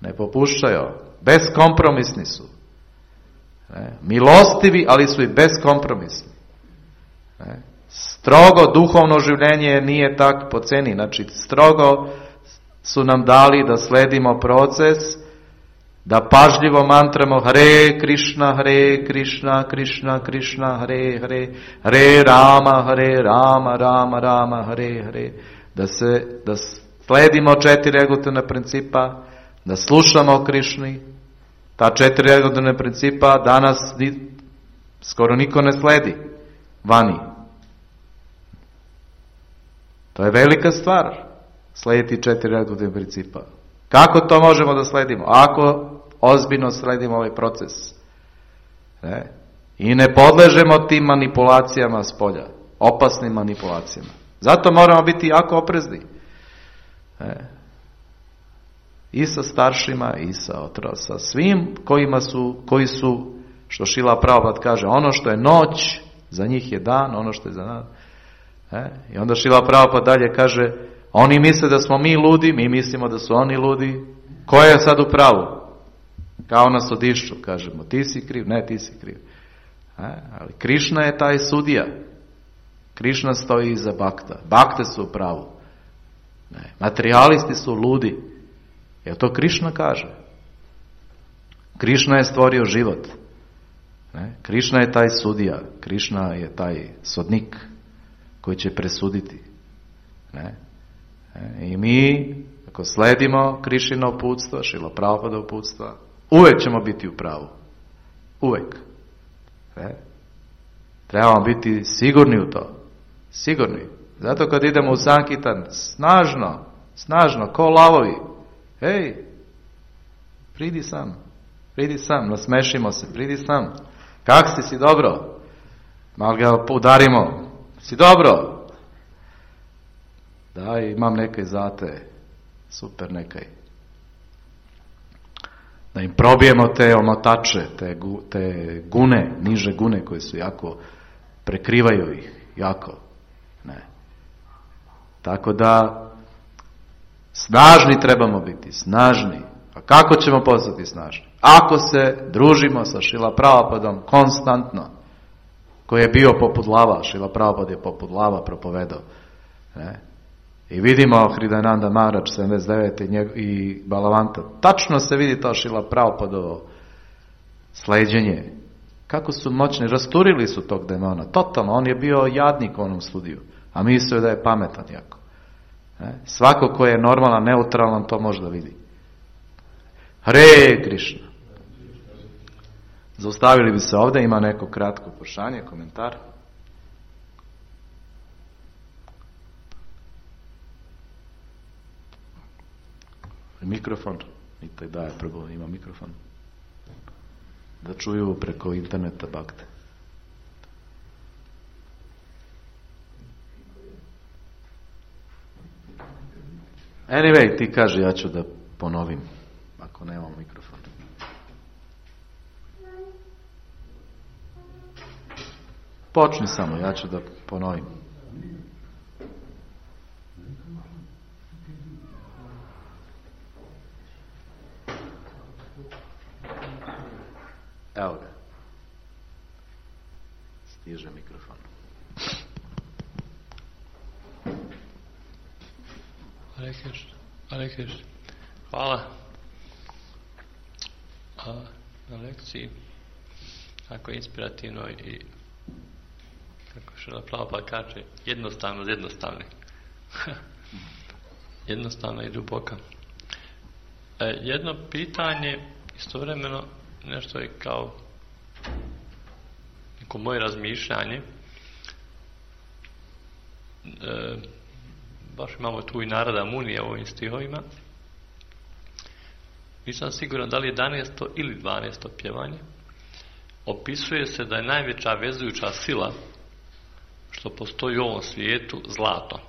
Ne popušćaju. Beskompromisni su. Ne? Milostivi, ali su i beskompromisni. Ne? Strogo duhovno življenje nije tak po ceni. Znači, strogo su nam dali da sledimo proces, da pažljivo mantramo Hare Krišna, Hare Krišna, Krišna, Krišna, Hare Hare, Hare Rama, Hare Rama, Rama, Rama, Hare Hare. Da se, da sledimo četiri regulatorna principa, da slušamo o Krišni. Ta četiri regulatorna principa danas skoro niko ne sledi vani. To je velika stvar, slediti četiri regulatorna principa. Kako to možemo da sledimo? Ako ozbiljno sledimo ovaj proces. Ne? I ne podležemo tim manipulacijama s polja. Opasnim manipulacijama. Zato moramo biti jako oprezni. Ne? I sa staršima, i sa otra, sa svim kojima su, koji su, što Šrila Prabhupada kaže, ono što je noć, za njih je dan, ono što je za nas. Ne? I onda Šrila Prabhupada dalje kaže, oni misle da smo mi ludi, mi mislimo da su oni ludi. Ko je sad u pravu? Kao na sudišću, kažemo, ti si kriv, ne, ti si kriv. E, ali Krišna je taj sudija. Krišna stoji iza bakta. Bakte su u pravu. Ne, materijalisti su ludi. Jer to Krišna kaže. Krišna je stvorio život. Ne, Krišna je taj sudija. Krišna je taj sodnik koji će presuditi. Ne. I mi, ako sledimo Krišino uputstva, Šrila Prabhupada uputstva, uvek ćemo biti u pravu. Uvek. E? Trebamo biti sigurni u to. Sigurni. Zato kad idemo u Sankitan, snažno, snažno, ko lavovi. Hej, pridi sam, pridi sam, nasmešimo se, pridi sam. Kak si, si dobro? Malo ga udarimo. Si dobro? Da, imam nekaj za te. Super nekaj. Da im probijemo te omotače, te, te gune, niže gune koje su jako, prekrivaju ih, jako. Ne. Tako da, snažni trebamo biti, snažni. A kako ćemo postati snažni? Ako se družimo sa Šrila Prabhupadom konstantno, koji je bio poput lava, Šrila Prabhupada je poput lava propovedao. Ne? I vidimo Hridayananda Maharaj sedamdeset devete i Balavanta. Tačno se vidi to Šrila Prabhupadovo sleđenje. Kako su moćni, rasturili su tog demona. Totalno, on je bio jadnik u onom studiju. A mislio da je pametan jako. Ne? Svako ko je normalan, neutralan, to može da vidi. Hare Krishna. Zaustavili bi se ovdje, ima neko kratko pošanje, komentar. Mikrofon. Nitaj daje prvo, ima mikrofon. Da čuju preko interneta bakte. Anyway, ti kaži, ja ću da ponovim, ako nemam mikrofon. Počni samo, ja ću da ponovim. Evo ga. Stiže mikrofon. Hare Krishna. Hare Krishna. Hvala A, na lekciji. Tako inspirativno i kako Šrila Prabhupada kaže, jednostavno od jednostavnih. Jednostavno i duboka. E, jedno pitanje, istovremeno nešto je kao neko moje razmišljanje. E, baš imamo tu i Narada Munija u ovim stihovima. Nisam siguran da li je jedanaesto ili dvanaesto pjevanje. Opisuje se da je najveća vezujuća sila što postoji u ovom svijetu zlato.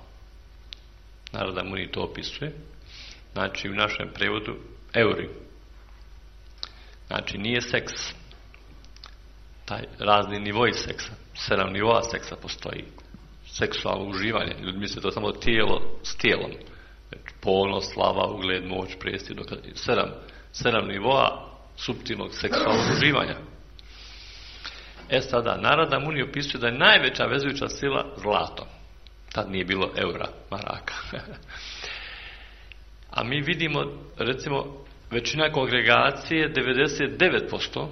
Narada Muni to opisuje. Znači u našem prevodu euri. Znači nije seks. Taj razni nivoi seksa. Sedam nivoa seksa postoji. Seksualno uživanje. Ljudi misle to samo tijelo s tijelom. Ponos, slava, ugled, moć, prestir. Sedam, sedam nivoa suptilnog seksualnog uživanja. E sada, Narada Muni opisuje da je najveća vezujuća sila zlato. Tad nije bilo eura, maraka. A mi vidimo, recimo, većina kongregacije, devedeset devet posto,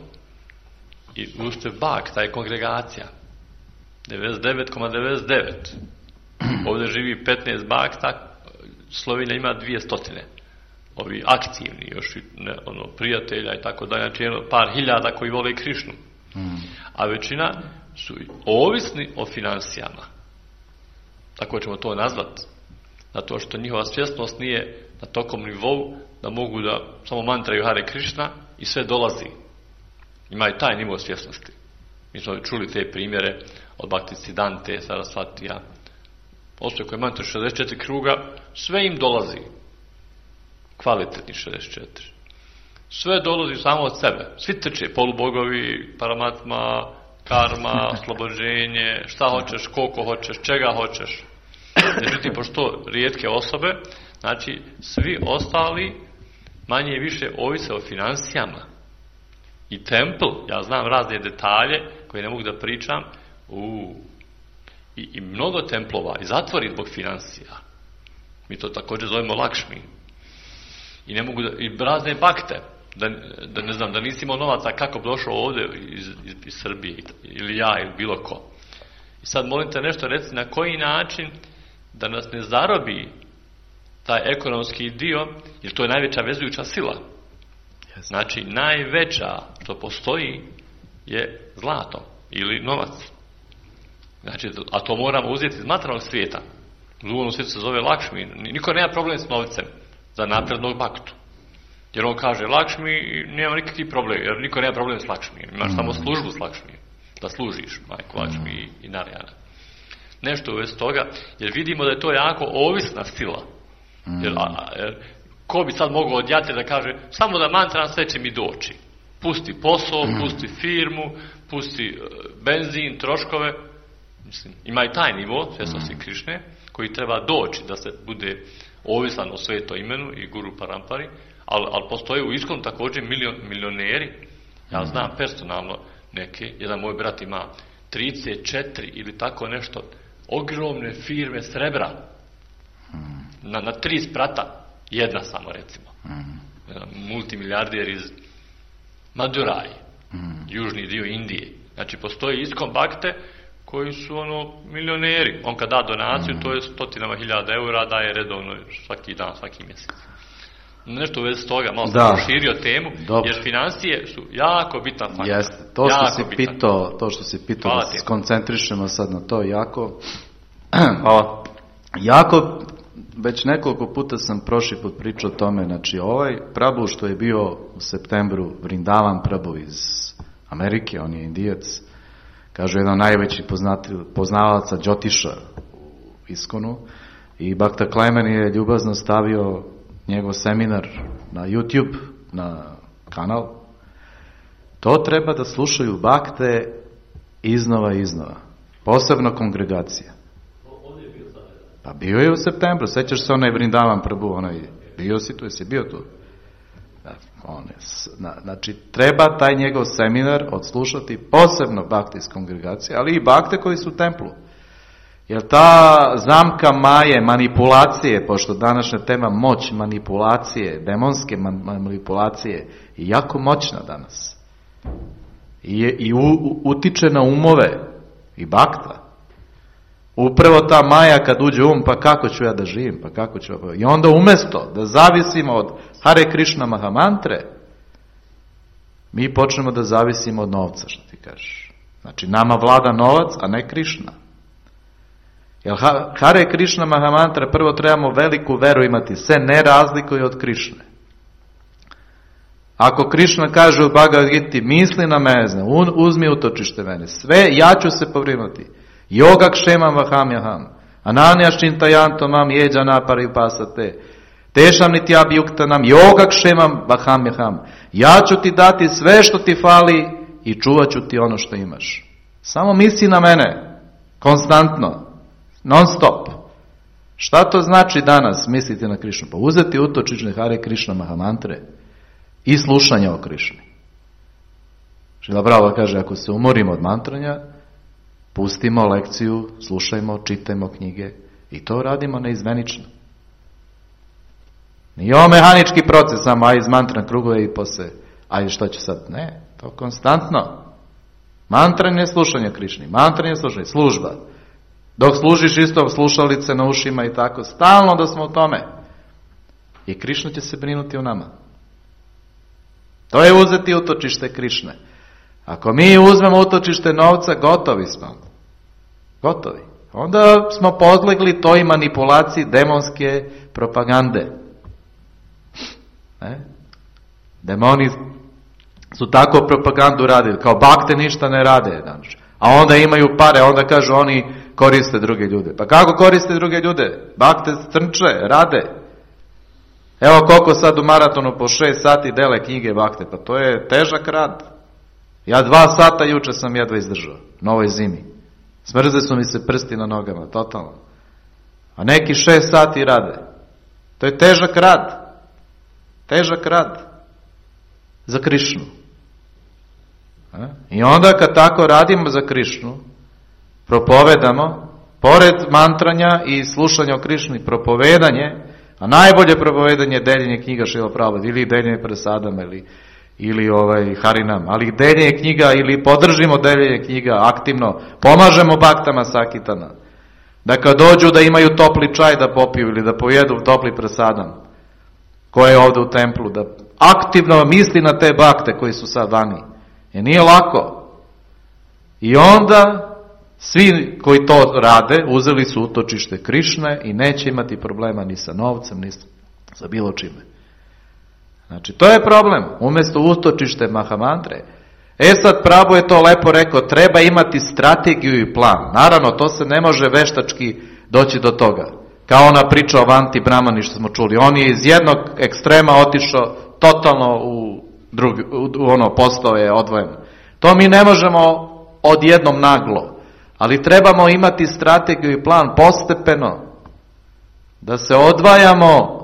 i ušte Bak, ta je kongregacija. devedeset devet zarez devedeset devet. Ovdje živi petnaest bakta, Slovenija ima dvjesto. Ovi aktivni, još ne, ono, prijatelja i tako da, znači jedno par hiljada koji vole Krišnu. Mm. A većina su ovisni o financijama. Tako ćemo to nazvati. Zato što njihova svjesnost nije na tokom nivou da mogu da samo mantraju Hare Krishna i sve dolazi. Imaju taj nivo svjesnosti. Mi smo čuli te primjere od Bhaktisiddhante, Sarasvatija. Postoje koje mantraju šezdeset četiri kruga, sve im dolazi. Kvalitetni šezdeset četiri. Sve dolazi samo od sebe. Svi trče, polubogovi, paramatma, karma, oslobođenje, šta hoćeš, koliko hoćeš, čega hoćeš. Međutim, pošto rijetke osobe, znači svi ostali manje i više ovise o financijama. I templ, ja znam razne detalje koje ne mogu da pričam, u, i, i mnogo templova i zatvori zbog financija. Mi to također zovemo Lakšmi. I ne mogu da, i razne bakte, da, da ne znam, da nisi imao novaca kako bi došao ovdje iz, iz, iz Srbije, ili ja, ili bilo ko. I sad molim te nešto reci na koji način da nas ne zarobi taj ekonomski dio, jer to je najveća vezujuća sila. Znači, najveća što postoji je zlato ili novac. Znači, a to moramo uzeti iz materijalnog svijeta. U duhovnom svijetu se zove Lakšmi. Niko nema problem s novcem za naprednog baktu. Jer on kaže Lakšmi i nema nikakvi problem, jer niko nema problem s Lakšmi. Imaš mm. samo službu s Lakšmi. Da služiš majku Lakšmi i, i Narijana. Nešto u vezi toga, jer vidimo da je to jako ovisna sila. Mm. Jer, a, jer ko bi sad mogao odjati da kaže, samo da mantram, sve će mi doći. Pusti posao, pusti firmu, pusti benzin, troškove. Mislim, ima i taj nivo svjesnosti Krišne, koji treba doći da se bude ovisan o sveto imenu i guru parampari, ali, ali postoje u Iskonu također milion, milioneri. Ja znam personalno neke, jedan moj brat ima trideset četiri ili tako nešto, ogromne firme srebra, na, na tri sprata, jedna samo recimo, jedan multimilijarder iz Maduraji, južni dio Indije. Znači postoji Iskon Bhakte koji su ono milioneri. On kad da donaciju, to je stotinama hiljada eura, daje redovno svaki dan, svaki mjesec. Nešto u vezi toga, malo sam proširio temu, dobro. Jer financije su jako bitan faktor. Jeste, to što si pitao, to što si pitao, da se skoncentrišemo sad na to jako. Hvala. Jako, već nekoliko puta sam prošli put pričao o tome, znači ovaj Prabhu što je bio u septembru, Vrindavan Prabhu iz Amerike, on je Indijac, kažu jedan najveći poznavaca Džotiša u Iskonu, i Bhakta Klemen je ljubazno stavio njegov seminar na YouTube, na kanal. To treba da slušaju bakte iznova i iznova. Posebno kongregacija. Pa bio je u septembru, sećaš se onaj Vrindavan Prabhu, onaj, bio si tu, jesi bio tu? On je, znači, treba taj njegov seminar odslušati posebno bakte iz kongregacije, ali i bakte koji su u templu. Jer ta zamka maje, manipulacije, pošto današnja tema moć, manipulacije, demonske manipulacije, je jako moćna danas. I, i u, u, utiče na umove i bakta. Upravo ta maja kad uđe um, pa kako ću ja da živim, pa kako ću... I onda umjesto da zavisimo od Hare Krishna Mahamantre, mi počnemo da zavisimo od novca, što ti kažeš. Znači, nama vlada novac, a ne Krishna. Jer Hare Krishna Mahamantra, prvo trebamo veliku veru imati, se ne razlikuje od Krišne. Ako Krišna kaže u Bhagavad Giti, misli na mene, uzmi utočište mene, sve, ja ću se pobrinuti. Yoga kšemam vahamjaham, ananjaš čintajanto mam jeđana paripasate, tešam niti abjuktanam, yoga kšemam vahamjaham. Ja ću ti dati sve što ti fali i čuvat ću ti ono što imaš. Samo misli na mene, konstantno. Non stop. Šta to znači danas misliti na Krišnu? Pa uzeti utočične Hare Krishna Mahamantre i slušanja o Krišni. Šrila Prabhupada kaže, ako se umorimo od mantranja, pustimo lekciju, slušajmo, čitajmo knjige i to radimo neizmenično. Nije ovo mehanički proces, samo aj iz mantra krugove i posle, aj što će sad? Ne, to konstantno. Mantranje je slušanje Krišni, mantranje je slušanje, služba. Dok služiš isto slušalice na ušima i tako, stalno da smo u tome. I Krišna će se brinuti o nama. To je uzeti utočište Krišne. Ako mi uzmemo utočište novca, gotovi smo. Gotovi. Onda smo podlegli toj manipulaciji demonske propagande. Ne? Demoni su tako propagandu radili, kao bakte ništa ne rade. Znači. A onda imaju pare, onda kažu oni koriste druge ljude. Pa kako koriste druge ljude? Bakte strnče, rade. Evo koliko sad u maratonu po šest sati dele knjige bakte, pa to je težak rad. Ja dva sata juče sam jedva izdržao, na ovoj zimi. Smrze su mi se prsti na nogama, totalno. A neki šest sati rade. To je težak rad. Težak rad. Za Krišnu. I onda kad tako radimo za Krišnu, propovedamo, pored mantranja i slušanja o Krišni, propovedanje, a najbolje propovedanje je deljenje knjiga Šrila Prabhupada, ili deljenje presadama, ili, ili ovaj, harinam, ali deljenje knjiga, ili podržimo deljenje knjiga aktivno, pomažemo baktama sakitana, da kad dođu da imaju topli čaj da popiju, ili da pojedu topli presadam, koje je ovdje u templu, da aktivno misli na te bakte koji su sad vani. Jer nije lako. I onda svi koji to rade uzeli su utočište Krišne i neće imati problema ni sa novcem, ni sa bilo čime. Znači, to je problem. Umjesto utočište Mahamantre. E sad, Prabhu je to lepo rekao, treba imati strategiju i plan. Naravno, to se ne može veštački doći do toga. Kao ona priča o Vanti Brahmani što smo čuli. On je iz jednog ekstrema otišao totalno u, drugi, u, u ono postao je odvojen. To mi ne možemo odjednom naglo, ali trebamo imati strategiju i plan postepeno da se odvajamo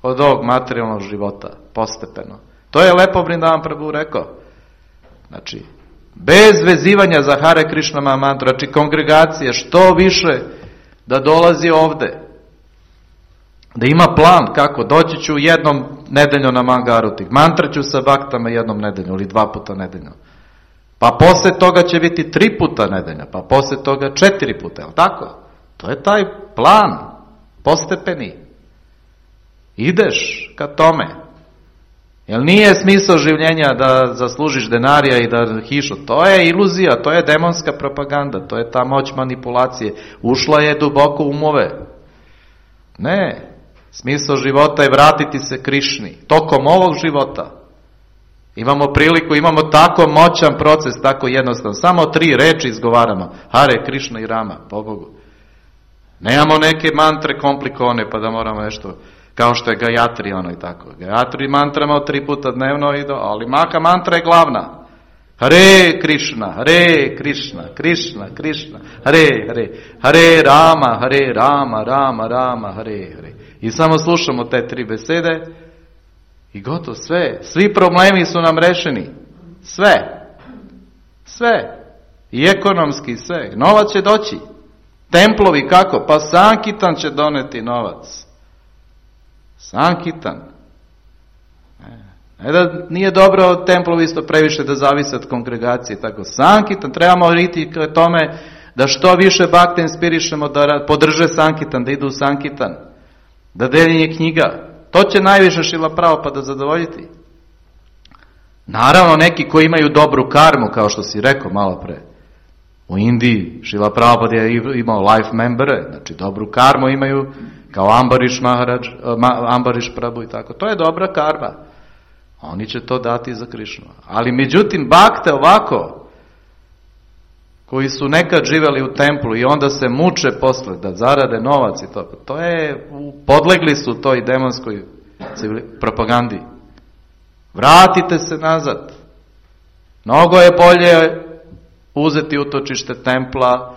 od ovog materijalnog života, postepeno. To je lepo Vrindavan Prabhu rekao. Znači, bez vezivanja za Hare Krishna Mahamantru, znači kongregacije što više da dolazi ovde, da ima plan kako, doći ću jednom nedeljno na Mangaruti, mantraću sa baktama jednom nedeljno ili dva puta nedeljno, pa posle toga će biti tri puta nedeljno, pa posle toga četiri puta, jel tako? To je taj plan, postepeni. Ideš ka tome. Jer nije smisao življenja da zaslužiš denarija i da hišu. To je iluzija, to je demonska propaganda, to je ta moć manipulacije. Ušla je duboko u umove. Ne, smisao života je vratiti se Krišni. Tokom ovog života. Imamo priliku, imamo tako moćan proces, tako jednostavno. Samo tri reči izgovaramo. Hare, Krišna i Rama, po Bogu. Nemamo neke mantre komplikovane pa da moramo nešto... Kao što je Gayatri, ono i tako. Gayatri mantramo tri puta dnevno, i do, ali Maha mantra je glavna. Hare Krishna, Hare Krishna, Krishna, Krishna, Hare, Hare, Hare Rama, Hare Rama, Rama, Rama, Hare, Hare. I samo slušamo te tri besede i gotovo sve. Svi problemi su nam rešeni. Sve. Sve. I ekonomski sve. Novac će doći. Templovi kako? Pa Sankitan će doneti novac. Sankitan. Ne da nije dobro templovi isto previše da zavise od kongregacije. Tako. Sankitan, trebamo riti k tome da što više bakte inspirišemo da podrže Sankitan, da idu u Sankitan, da deljenje knjiga. To će najviše Šrila Prabhupada zadovoljiti. Naravno neki koji imaju dobru karmu, kao što si rekao malo pre. U Indiji Šrila Prabhupada je imao life membere, znači dobru karmu imaju, kao Ambariš Maharaj, Ambariš Prabhu i tako. To je dobra karma. Oni će to dati za Krišnu. Ali međutim, bakte ovako, koji su nekad živeli u templu i onda se muče posle da zarade novac i to, to je, podlegli su toj demonskoj propagandi. Vratite se nazad. Mnogo je bolje uzeti utočište templa,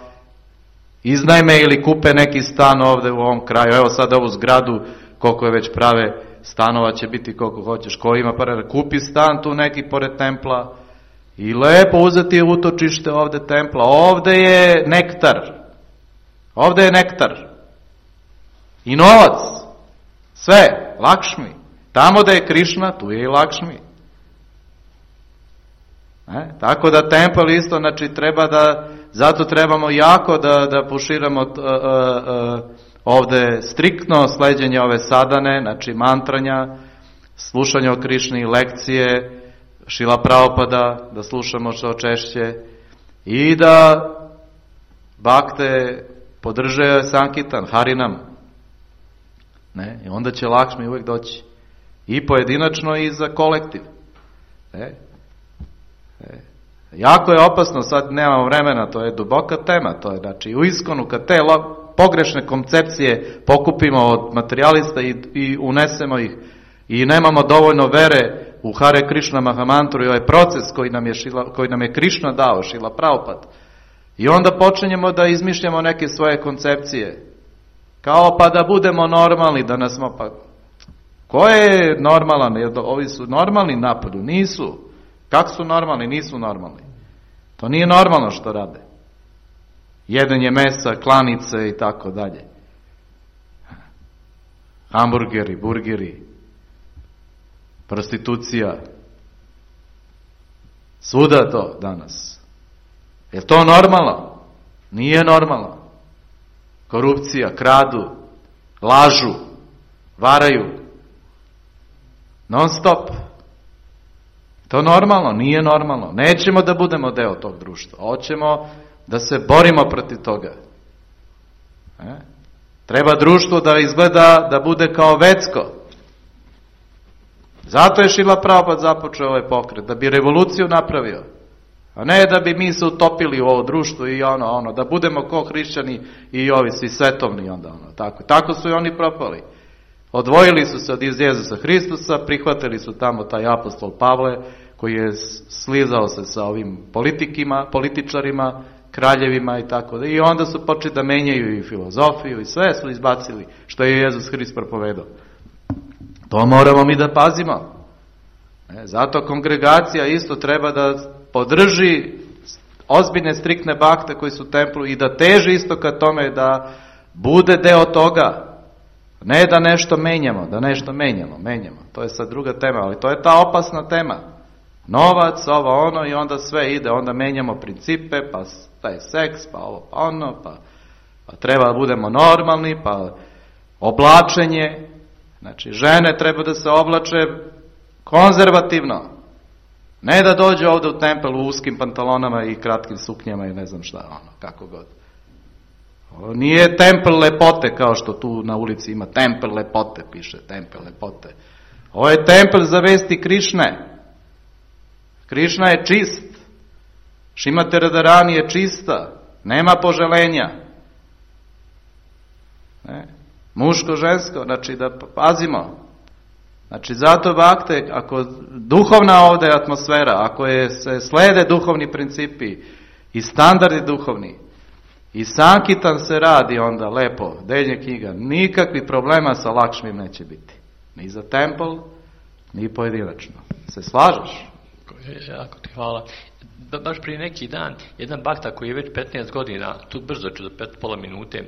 iznajme ili kupe neki stan ovde u ovom kraju. Evo sad ovu zgradu, koliko je već prave, stanova će biti koliko hoćeš. Ko ima para, kupi stan tu neki pored templa i lepo uzeti utočište ovde templa. Ovde je nektar. Ovde je nektar. I novac. Sve. Lakšmi. Tamo da je Krišna, tu je i Lakšmi. E? Tako da tempel isto, znači treba da, zato trebamo jako da, da puširamo uh, uh, uh, ovde striktno sleđenje ove sadane, znači mantranja, slušanje o Krišni, lekcije, Šrila Prabhupada, da slušamo što češće i da bakte podrže Sankitan, Harinam. Ne? I onda će Lakšmi uvijek doći. I pojedinačno i za kolektiv. Ne? E, jako je opasno, sad nemamo vremena, to je duboka tema, to je znači u Iskonu kad te lo, pogrešne koncepcije pokupimo od materijalista i, i unesemo ih i nemamo dovoljno vere u Hare Krishna Mahamantru i ovaj proces koji nam je, Šila, koji nam je Krišna dao, Šrila Prabhupada, i onda počinjemo da izmišljamo neke svoje koncepcije, kao pa da budemo normalni, da nas smo pa... Ko je normalan? Jer ovi su normalni napolju? Nisu. Kako su normalni? Nisu normalni. To nije normalno što rade. Jedenje mesa, klanice i tako dalje. Hamburgeri, burgeri, prostitucija. Svuda to danas. Je to normalno? Nije normalno. Korupcija, kradu, lažu, varaju. Non stop. To normalno, nije normalno. Nećemo da budemo deo tog društva. Hoćemo da se borimo protiv toga. E? Treba društvo da izgleda, da bude kao Vecko. Zato je Šrila Prabhupada započeo ovaj pokret, da bi revoluciju napravio. A ne da bi mi se utopili u ovo društvo i ono, ono, da budemo ko hrišćani i ovi svi svetovni onda, ono, tako. Tako su i oni propali. Odvojili su se od Jezusa Hristusa, prihvatili su tamo taj apostol Pavle, koji je slizao se sa ovim politikima, političarima, kraljevima i tako da. I onda su počeli da menjaju i filozofiju i sve su izbacili što je Jezus Hrist propovedao. To moramo mi da pazimo. E, zato kongregacija isto treba da podrži ozbiljne, striktne bakte koji su u templu i da teži isto ka tome da bude deo toga. Ne da nešto menjamo, da nešto menjamo, menjamo. To je sad druga tema, ali to je ta opasna tema. Novac, ovo ono i onda sve ide, onda menjamo principe, pa taj seks, pa ovo, pa ono, pa, pa treba da budemo normalni, pa oblačenje. Znači, žene treba da se oblače konzervativno. Ne da dođe ovde u tempel u uskim pantalonama i kratkim suknjama i ne znam šta, ono, kako god. Ovo nije tempel lepote kao što tu na ulici ima tempel lepote, piše tempel lepote. Ovo je tempel za vesti Krišne. Krišna je čist. Šrimati Radharani je čista. Nema poželenja. Ne? Muško, žensko, znači da pazimo. Znači zato bakte, ako duhovna ovde je atmosfera, ako je, se slede duhovni principi i standardi duhovni, i sankitan se radi onda lepo, deljenje knjiga, nikakvih problema sa Lakšmim neće biti. Ni za tempel, ni pojedinačno. Se slažeš? Jako ti hvala. Ba, baš prije neki dan, jedan bakta koji je već petnaest godina, tu brzo ću za pet, pola minute,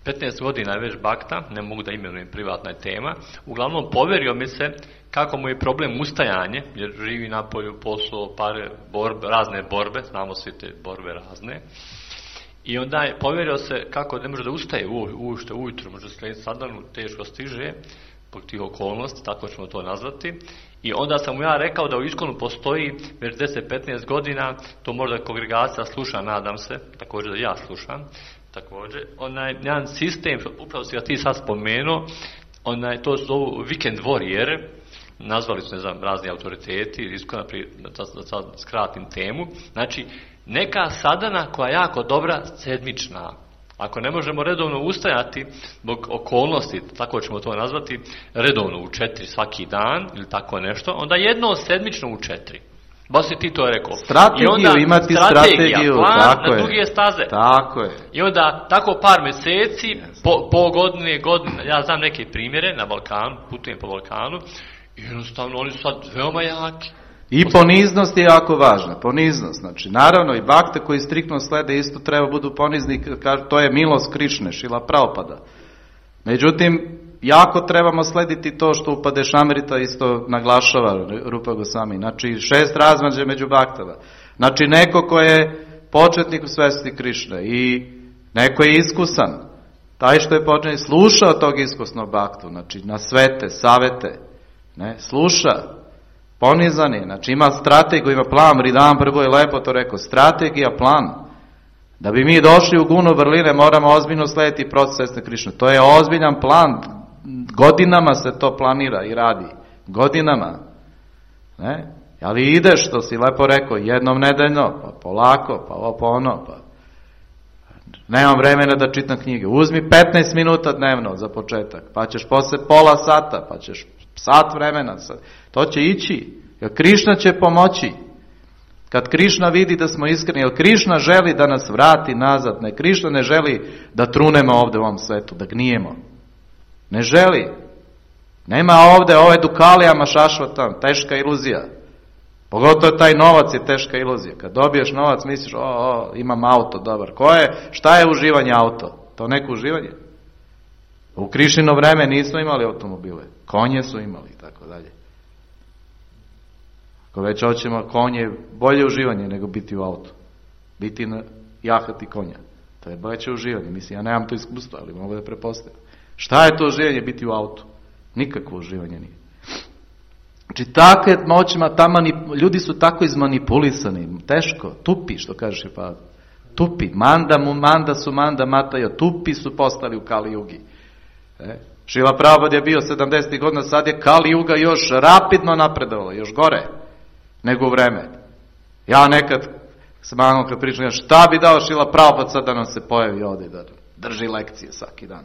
petnaest godina je već bakta, ne mogu da imenujem, privatna je tema, uglavnom poverio mi se kako mu je problem ustajanje, jer živi na polju, posao, pare, borbe, razne borbe, znamo svi te borbe razne, i onda je poverio se kako ne može da ustaje u, ušte ujutru, može skrenuti sadanu, teško stiže, zbog tih okolnosti, tako ćemo to nazvati. I onda sam mu ja rekao da u Iskonu postoji već deset do petnaest godina, to možda kongregacija sluša, nadam se, također da ja slušam, također, onaj jedan sistem, upravo si ga ti sad spomenuo, onaj, to su zovu weekend warrior, nazvali su, ne znam, razni autoriteti, Iskona, da sad skratim temu, znači, neka sadana koja je jako dobra, sedmična. Ako ne možemo redovno ustajati zbog okolnosti, tako ćemo to nazvati, redovno u četiri svaki dan ili tako nešto, onda jedno sedmično u četiri. Baš si ti to rekao. Strategiju, I onda, imati strategiju, plan tako na je. duge staze. Tako je. I onda tako par mjeseci, po, po godine, godine, ja znam neke primjere na Balkanu, putujem po Balkanu, i jednostavno oni su sad veoma jaki. I poniznost je jako važna, poniznost, znači naravno i bakte koji striktno slede isto treba budu ponizni, to je milost Krišne, Šrila Prabhupada. Međutim, jako trebamo slediti to što Upadeš Amrita isto naglašava Rupa Gosvami, znači šest razmađe među baktama, znači neko ko je početnik u svesti Krišne i neko je iskusan, taj što je početnik slušao tog iskusnog baktu, znači na svete, savete, ne, sluša, ponizan je, znači ima strategiju, ima plan, Ridam prvo je lepo to rekao, strategija, plan. Da bi mi došli u gunu vrline, moramo ozbiljno slediti proces svesne Krišne. To je ozbiljan plan, godinama se to planira i radi, godinama. Ne? Ali ideš, što si lepo rekao, jednom nedeljno, pa polako, pa ovo pa ono, pa nemam vremena da čitam knjige. Uzmi petnaest minuta dnevno za početak, pa ćeš posle pola sata, pa ćeš sat vremena, to će ići, jer Krišna će pomoći. Kad Krišna vidi da smo iskreni, jer Krišna želi da nas vrati nazad, ne, Krišna ne želi da trunemo ovde u ovom svetu, da gnijemo. Ne želi. Nema ovde ove dukalijama šašvata, teška iluzija. Pogotovo taj novac je teška iluzija. Kad dobiješ novac, misliš, o, o, imam auto, dobar. Ko je, šta je uživanje auto? To neko uživanje? U Krišnino vreme nismo imali automobile. Konje su imali, tako dalje. Ako već hoćemo konje, bolje uživanje nego biti u autu. Biti na jahati konja. To je bolje uživanje. Mislim, ja nemam to iskustvo, ali mogu da prepostavim. Šta je to uživanje biti u autu? Nikakvo uživanje nije. Znači, takve moćima, ta manip... ljudi su tako izmanipulisani, teško, tupi, što kažeš je pa, tupi, manda mu, manda su, manda matajo, tupi su postali u Kali Jugi. E? Šrila Prabhupada je bio sedamdesetih godina, sad je Kali Juga još rapidno napredovala, još gore nego u vreme. Ja nekad s mamom kad pričam, šta bi dao Šrila Prabhupada sad da nam se pojavi ovdje, da drži lekcije svaki dan.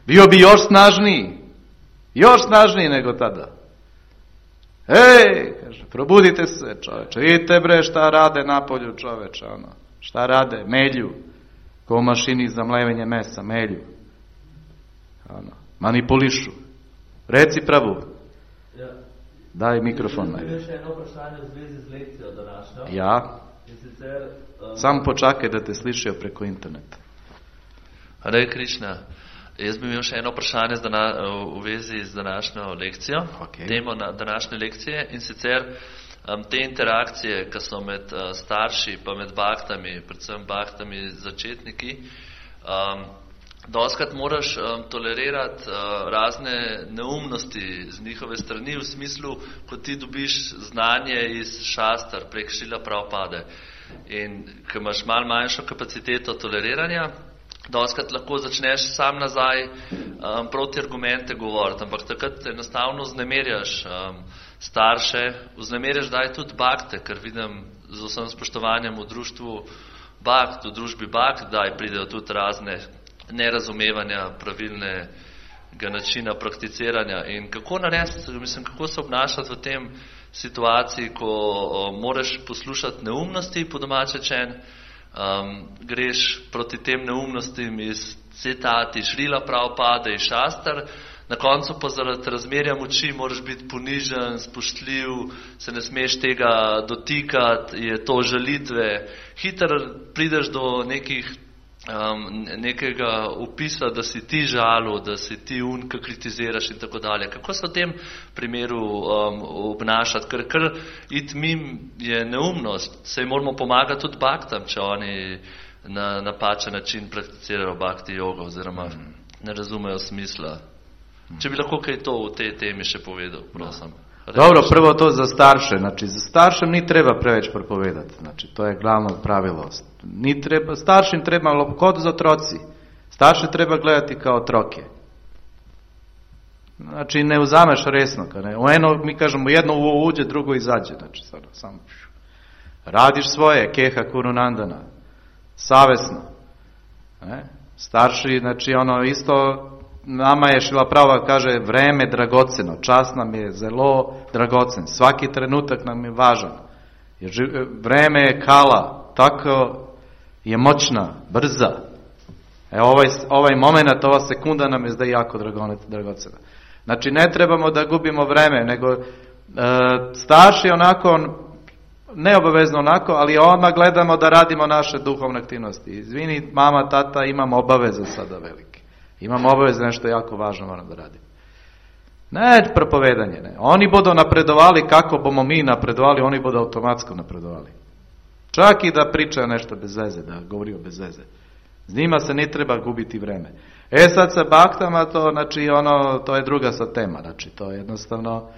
Bio bi još snažniji, još snažniji nego tada. Ej, kaže, probudite se, čoveče, vidite bre šta rade napolju, čoveče, ono, šta rade, melju, ko u mašini za mlevenje mesa, melju, ono, manipulišu. Reci Prabhu. Ja. Daj mikrofon. Imam še eno vprašanje v zvezi z lekcijo današnjo. Ja. In sicer, um, Samo počakaj, da te slišijo preko interneta. Hare Krišna. Jaz bi imel še eno vprašanje z dana, v vezi z današnjo lekcijo, Okay. temo na današnje lekcije, in sicer um, te interakcije, ki so med uh, starši pa med baktami, predvsem baktami začetniki, um, doskrat moraš um, tolerirati uh, razne neumnosti z njihove strani, v smislu, ko ti dobiš znanje iz šastar prek Šrila Prabhupade in ko imaš malo manjšo kapaciteto toleriranja, doskrat lahko začneš sam nazaj um, proti argumente govoriti, ampak takrat enostavno vznemirjaš um, starše, vznemirjaš daj tudi bakte, ker vidim z vsem spoštovanjem v društvu bakt, v družbi bakt, daj pridejo tudi razne nerazumevanja pravilnega načina prakticiranja in kako narediti, mislim, kako se obnašati v tem situaciji, ko o, moraš poslušati neumnosti po domače čen, Um, greš proti tem neumnostim iz citati Šrila Prabhupade iz šastar, na koncu pa zaradi razmerja moči moraš biti ponižen, spoštljiv, se ne smeš tega dotikati, je to žalitve. Hitro prideš do nekih, um, nekega upisa, da si ti žalil, da si ti un, ki kritiziraš in tako dalje. Kako se v tem primeru um, obnašati? Ker kar it mim je neumnost. Sej moramo pomagati tudi baktam, če oni na napačen način prakticirajo bakti jogo oziroma ne razumejo smisla. Če bi lahko kaj to v tej temi še povedal, prosim. Dobro, prvo to za starše. Znači, za staršem ni treba preveč propovedati. Znači, to je glavno pravilo. Ni treba, staršim treba kod za otroci. Starše treba gledati kao otroke. Znači, ne uzameš resno. Ne? U eno, mi kažemo, jedno uđe, drugo izađe. Znači, sad, samo radiš svoje, keha kurunandana. Savesno. Ne? Starši, znači, ono, isto... Nama je Šrila Prabhupada kaže vreme dragoceno, čas nam je zelo dragocen, svaki trenutak nam je važan. Jer vreme je kala, tako je moćna, brza. E, ovaj, ovaj moment, ova sekunda nam je zda jako dragocena. Znači ne trebamo da gubimo vreme, nego e, starši onako, neobavezno onako, ali odmah gledamo da radimo naše duhovne aktivnosti. Izvini mama, tata, imam obaveze sada velike. Imam obaveze, nešto jako važno moram da radim. Ne propovedanje, ne. Oni budu napredovali kako bomo mi napredovali, oni budu automatsko napredovali. Čak i da priča nešto bez veze, da govori o bez veze. S njima se ne treba gubiti vreme. E sad sa baktama, to, znači, ono, to je druga sad tema. Znači, to je jednostavno...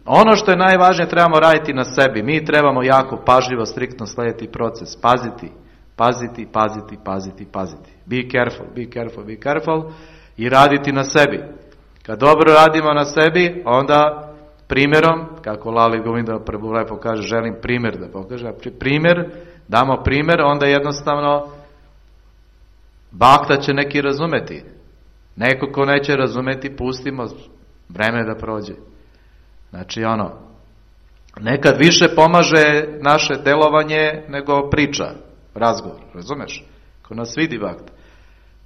Ono što je najvažnije, trebamo raditi na sebi. Mi trebamo jako pažljivo, striktno slediti proces. Paziti, paziti, paziti, paziti, paziti. Be careful, be careful, be careful. I raditi na sebi. Kad dobro radimo na sebi, onda primjerom, kako Lali Govinda Prabhu lepo kaže, želim primjer da pokaže. Primjer, damo primjer, onda jednostavno bakta će neki razumeti. Neko ko neće razumeti, pustimo vreme da prođe. Znači ono, nekad više pomaže naše delovanje nego priča, razgovor, razumeš? Ko nas vidi bakta.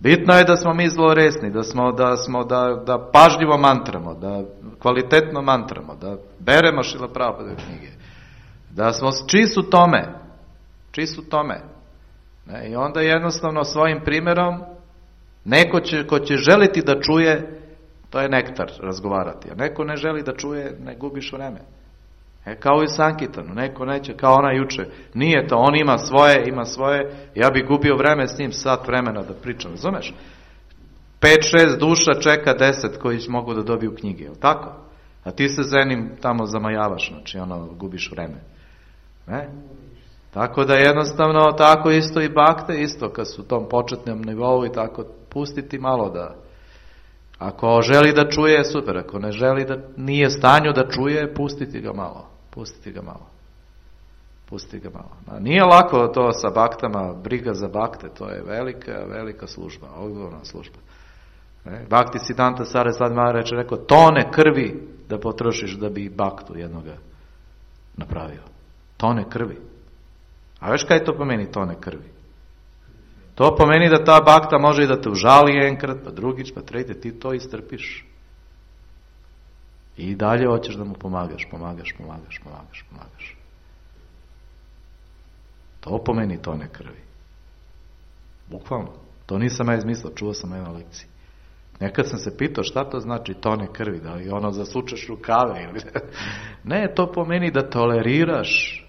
Bitno je da smo mi zloresni, da smo, da smo, da, da pažljivo mantramo, da kvalitetno mantramo, da beremo Šrila Prabhupada knjige, da smo čist u tome, čist u tome. Ne, i onda jednostavno svojim primjerom, neko će, ko će želiti da čuje, to je nektar razgovarati, a neko ne želi da čuje, ne gubiš vreme. E, kao i Sankitanu, neko neće, kao ona juče, nije to, on ima svoje, ima svoje, ja bi gubio vreme s njim sat vremena da pričam, razumeš? Pet, šest duša čeka deset koji mogu da dobiju knjige, jel tako? A ti se zenim tamo zamajavaš, znači ono, gubiš vreme. Ne? Tako da jednostavno, tako isto i bakte, isto kad su u tom početnom nivou i tako, pustiti malo da, ako želi da čuje, super, ako ne želi da nije stanju da čuje, pustiti ga malo. Pustiti ga malo. Pusti ga malo. Nije lako to sa baktama, briga za bakte, to je velika, velika služba, odgovorna služba. Ne? Bhakti Siddhanta Saraswati Maharaj reče, rekao, tone krvi da potrošiš da bi baktu jednoga napravio. Tone krvi. A veš kaj to pomeni tone krvi? To pomeni da ta bakta može i da te užali jenkrat, pa drugić, pa treti, ti to istrpiš. I dalje hoćeš da mu pomagaš, pomagaš, pomagaš, pomagaš, pomagaš. To pomeni tone krvi. Bukvalno. To nisam ja izmislio, čuo sam na lekciji. Nekad sam se pitao šta to znači tone krvi, da li ono zasučeš rukave ili... Ne, to pomeni da toleriraš.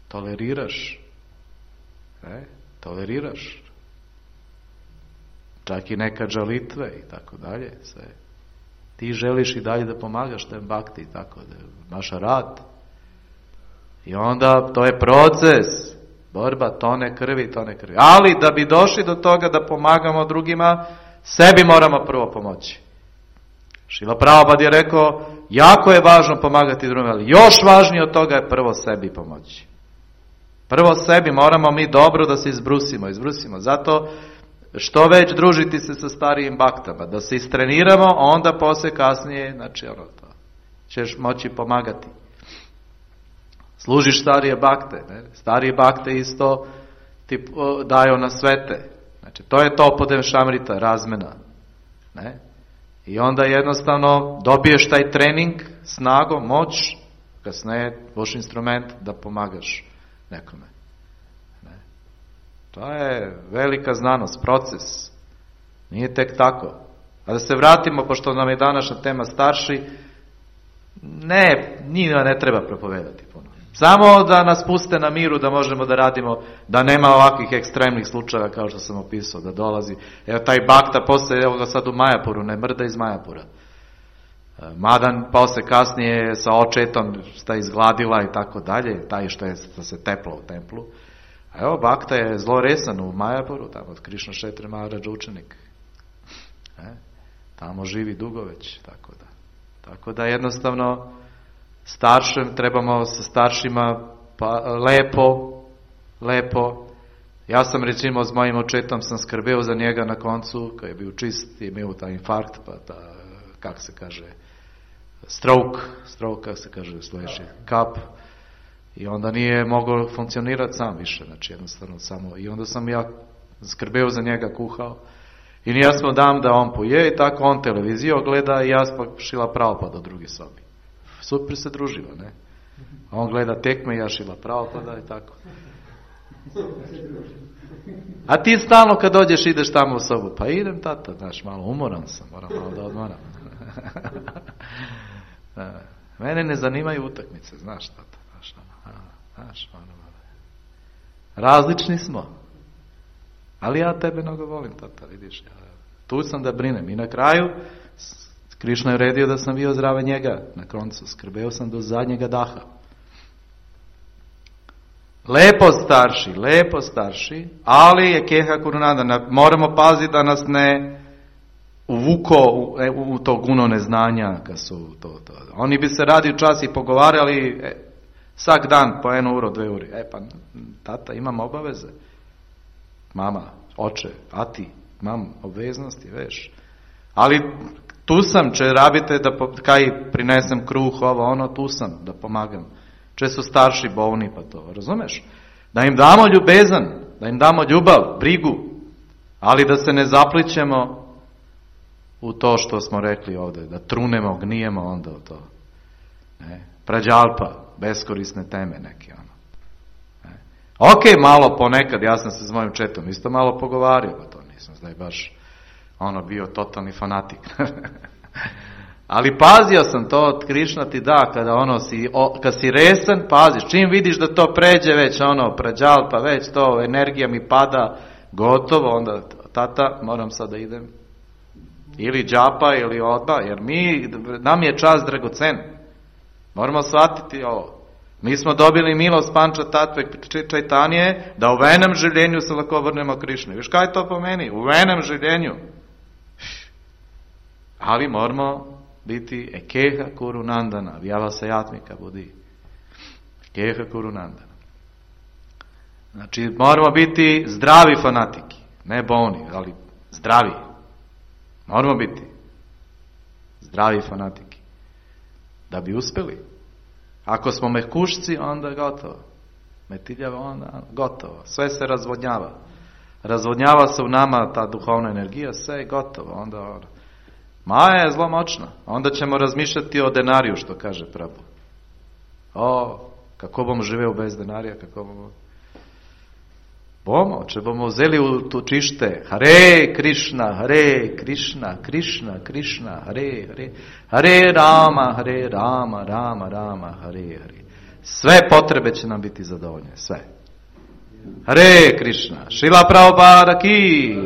Toleriraš. Ne? Toleriraš. Čak i neka žalitve i tako dalje. Sve. Ti želiš i dalje da pomagaš tem bakti i tako da naša rad. I onda to je proces. Borba, tone krvi, tone krvi. Ali da bi došli do toga da pomagamo drugima, sebi moramo prvo pomoći. Šrila Prabhupada je rekao, jako je važno pomagati drugima, ali još važnije od toga je prvo sebi pomoći. Prvo sebi moramo mi dobro da se izbrusimo, izbrusimo. Zato što već družiti se sa starijim baktama, da se istreniramo, onda poslije kasnije, znači ono to, ćeš moći pomagati. Služiš starije bakte, ne? Starije bakte isto ti daju na svete. Znači, to je to podem šamrita, razmena. Ne? I onda jednostavno dobiješ taj trening, snago, moć, kasnije boš instrument da pomagaš nekome. Ne? To je velika znanost, proces. Nije tek tako. A da se vratimo, pošto nam je današnja tema starši, ne, njima ne treba propovedati puno. Samo da nas puste na miru, da možemo da radimo, da nema ovakvih ekstremnih slučajeva kao što sam opisao, da dolazi. Evo taj bakta posle, evo ga sad u Majapuru, ne mrda iz Majapura. Madan posle kasnije sa očetom sta izgladila i tako dalje, taj što je što se teplo u templu. A evo bakta je zloresan u Majapuru, tamo od Krišna Šetre Maharaj učenik. E, tamo živi dugo već, tako da. Tako da jednostavno staršem, trebamo sa staršima pa, lepo, lepo. Ja sam recimo s mojim očetom sam skrbeo za njega na koncu, kad je bio čist i imao taj infarkt, pa ta, kak se kaže, stroke, stroke, kak se kaže sljedeći, kap. I onda nije mogao funkcionirati sam više, znači jednostavno samo. I onda sam ja skrbeo za njega, kuhao. I ja smo dam da on poje i tako on televiziju gleda i ja sam Šrila Prabhupada u drugi sobi. Super se družilo, ne? On gleda tekme i ja Šrila Prabhupada i tako. A ti stalno kad dođeš ideš tamo u sobu, pa idem tata, znaš, malo umoran sam, moram malo da odmoram. Mene ne zanimaju utakmice, znaš tata, znaš, znaš, različni smo. Ali ja tebe mnogo volim, tata, vidiš. Ja, tu sam da brinem. I na kraju, Krišna je uredio da sam bio zdrava njega. Na koncu, skrbeo sam do zadnjega daha. Lepo starši, lepo starši, ali je keha kurunanda. Moramo paziti da nas ne uvuko u, u to guno neznanja. Kad su to, to. Oni bi se radi čas i pogovarali e, sak dan po jednu uro, dve uri. E pa, tata, imam obaveze. Mama, oče, a ti, mam obveznosti, veš. Ali tu sam, če rabite da po, kaj prinesem kruh, ovo, ono, tu sam da pomagam. Če su starši bolni, pa to, razumeš? Da im damo ljubezan, da im damo ljubav, brigu, ali da se ne zaplićemo u to što smo rekli ovdje, da trunemo, gnijemo onda u to. Ne? Prađalpa, beskorisne teme neke, ono. Ok, malo ponekad, ja sam se s mojim četom isto malo pogovario, pa to nisam zdaj baš ono bio totalni fanatik. Ali pazio sam to od Krišna ti da, kada ono si, o, kad si resan, paziš, čim vidiš da to pređe već ono, prađal, pa već to, energija mi pada, gotovo, onda tata, moram sad da idem. Ili džapa, ili odba, jer mi, nam je čas dragocen. Moramo shvatiti ovo. Mi smo dobili milost Panča Tatve Čajtanije da u venem življenju se lako vrnemo Krišni. Viš kaj to pomeni? U venem življenju. Ali moramo biti ekeha kurunandana, vjava se jatmika budi. Keha Kurunandana. Znači, moramo biti zdravi fanatiki, ne bolni, ali zdravi. Moramo biti zdravi fanatiki. Da bi uspjeli. Ako smo mehkušci, onda je gotovo. Metiljava, onda gotovo. Sve se razvodnjava. Razvodnjava se u nama ta duhovna energija, sve je gotovo. Onda Maja je zlo moćna. Onda ćemo razmišljati o denariju, što kaže Prabhu. O, kako bomo živeli bez denarija, kako bomo... Bomo, če bomo vzeli v to čište, Hare Krishna, Hare Krishna, Krishna, Krishna, Hare, Hare, Hare Rama, Hare Rama, Rama, Rama, Hare, Hare. Sve potrebe će nam biti zadovoljne, sve. Hare Krishna, Šila Prabhupada ki.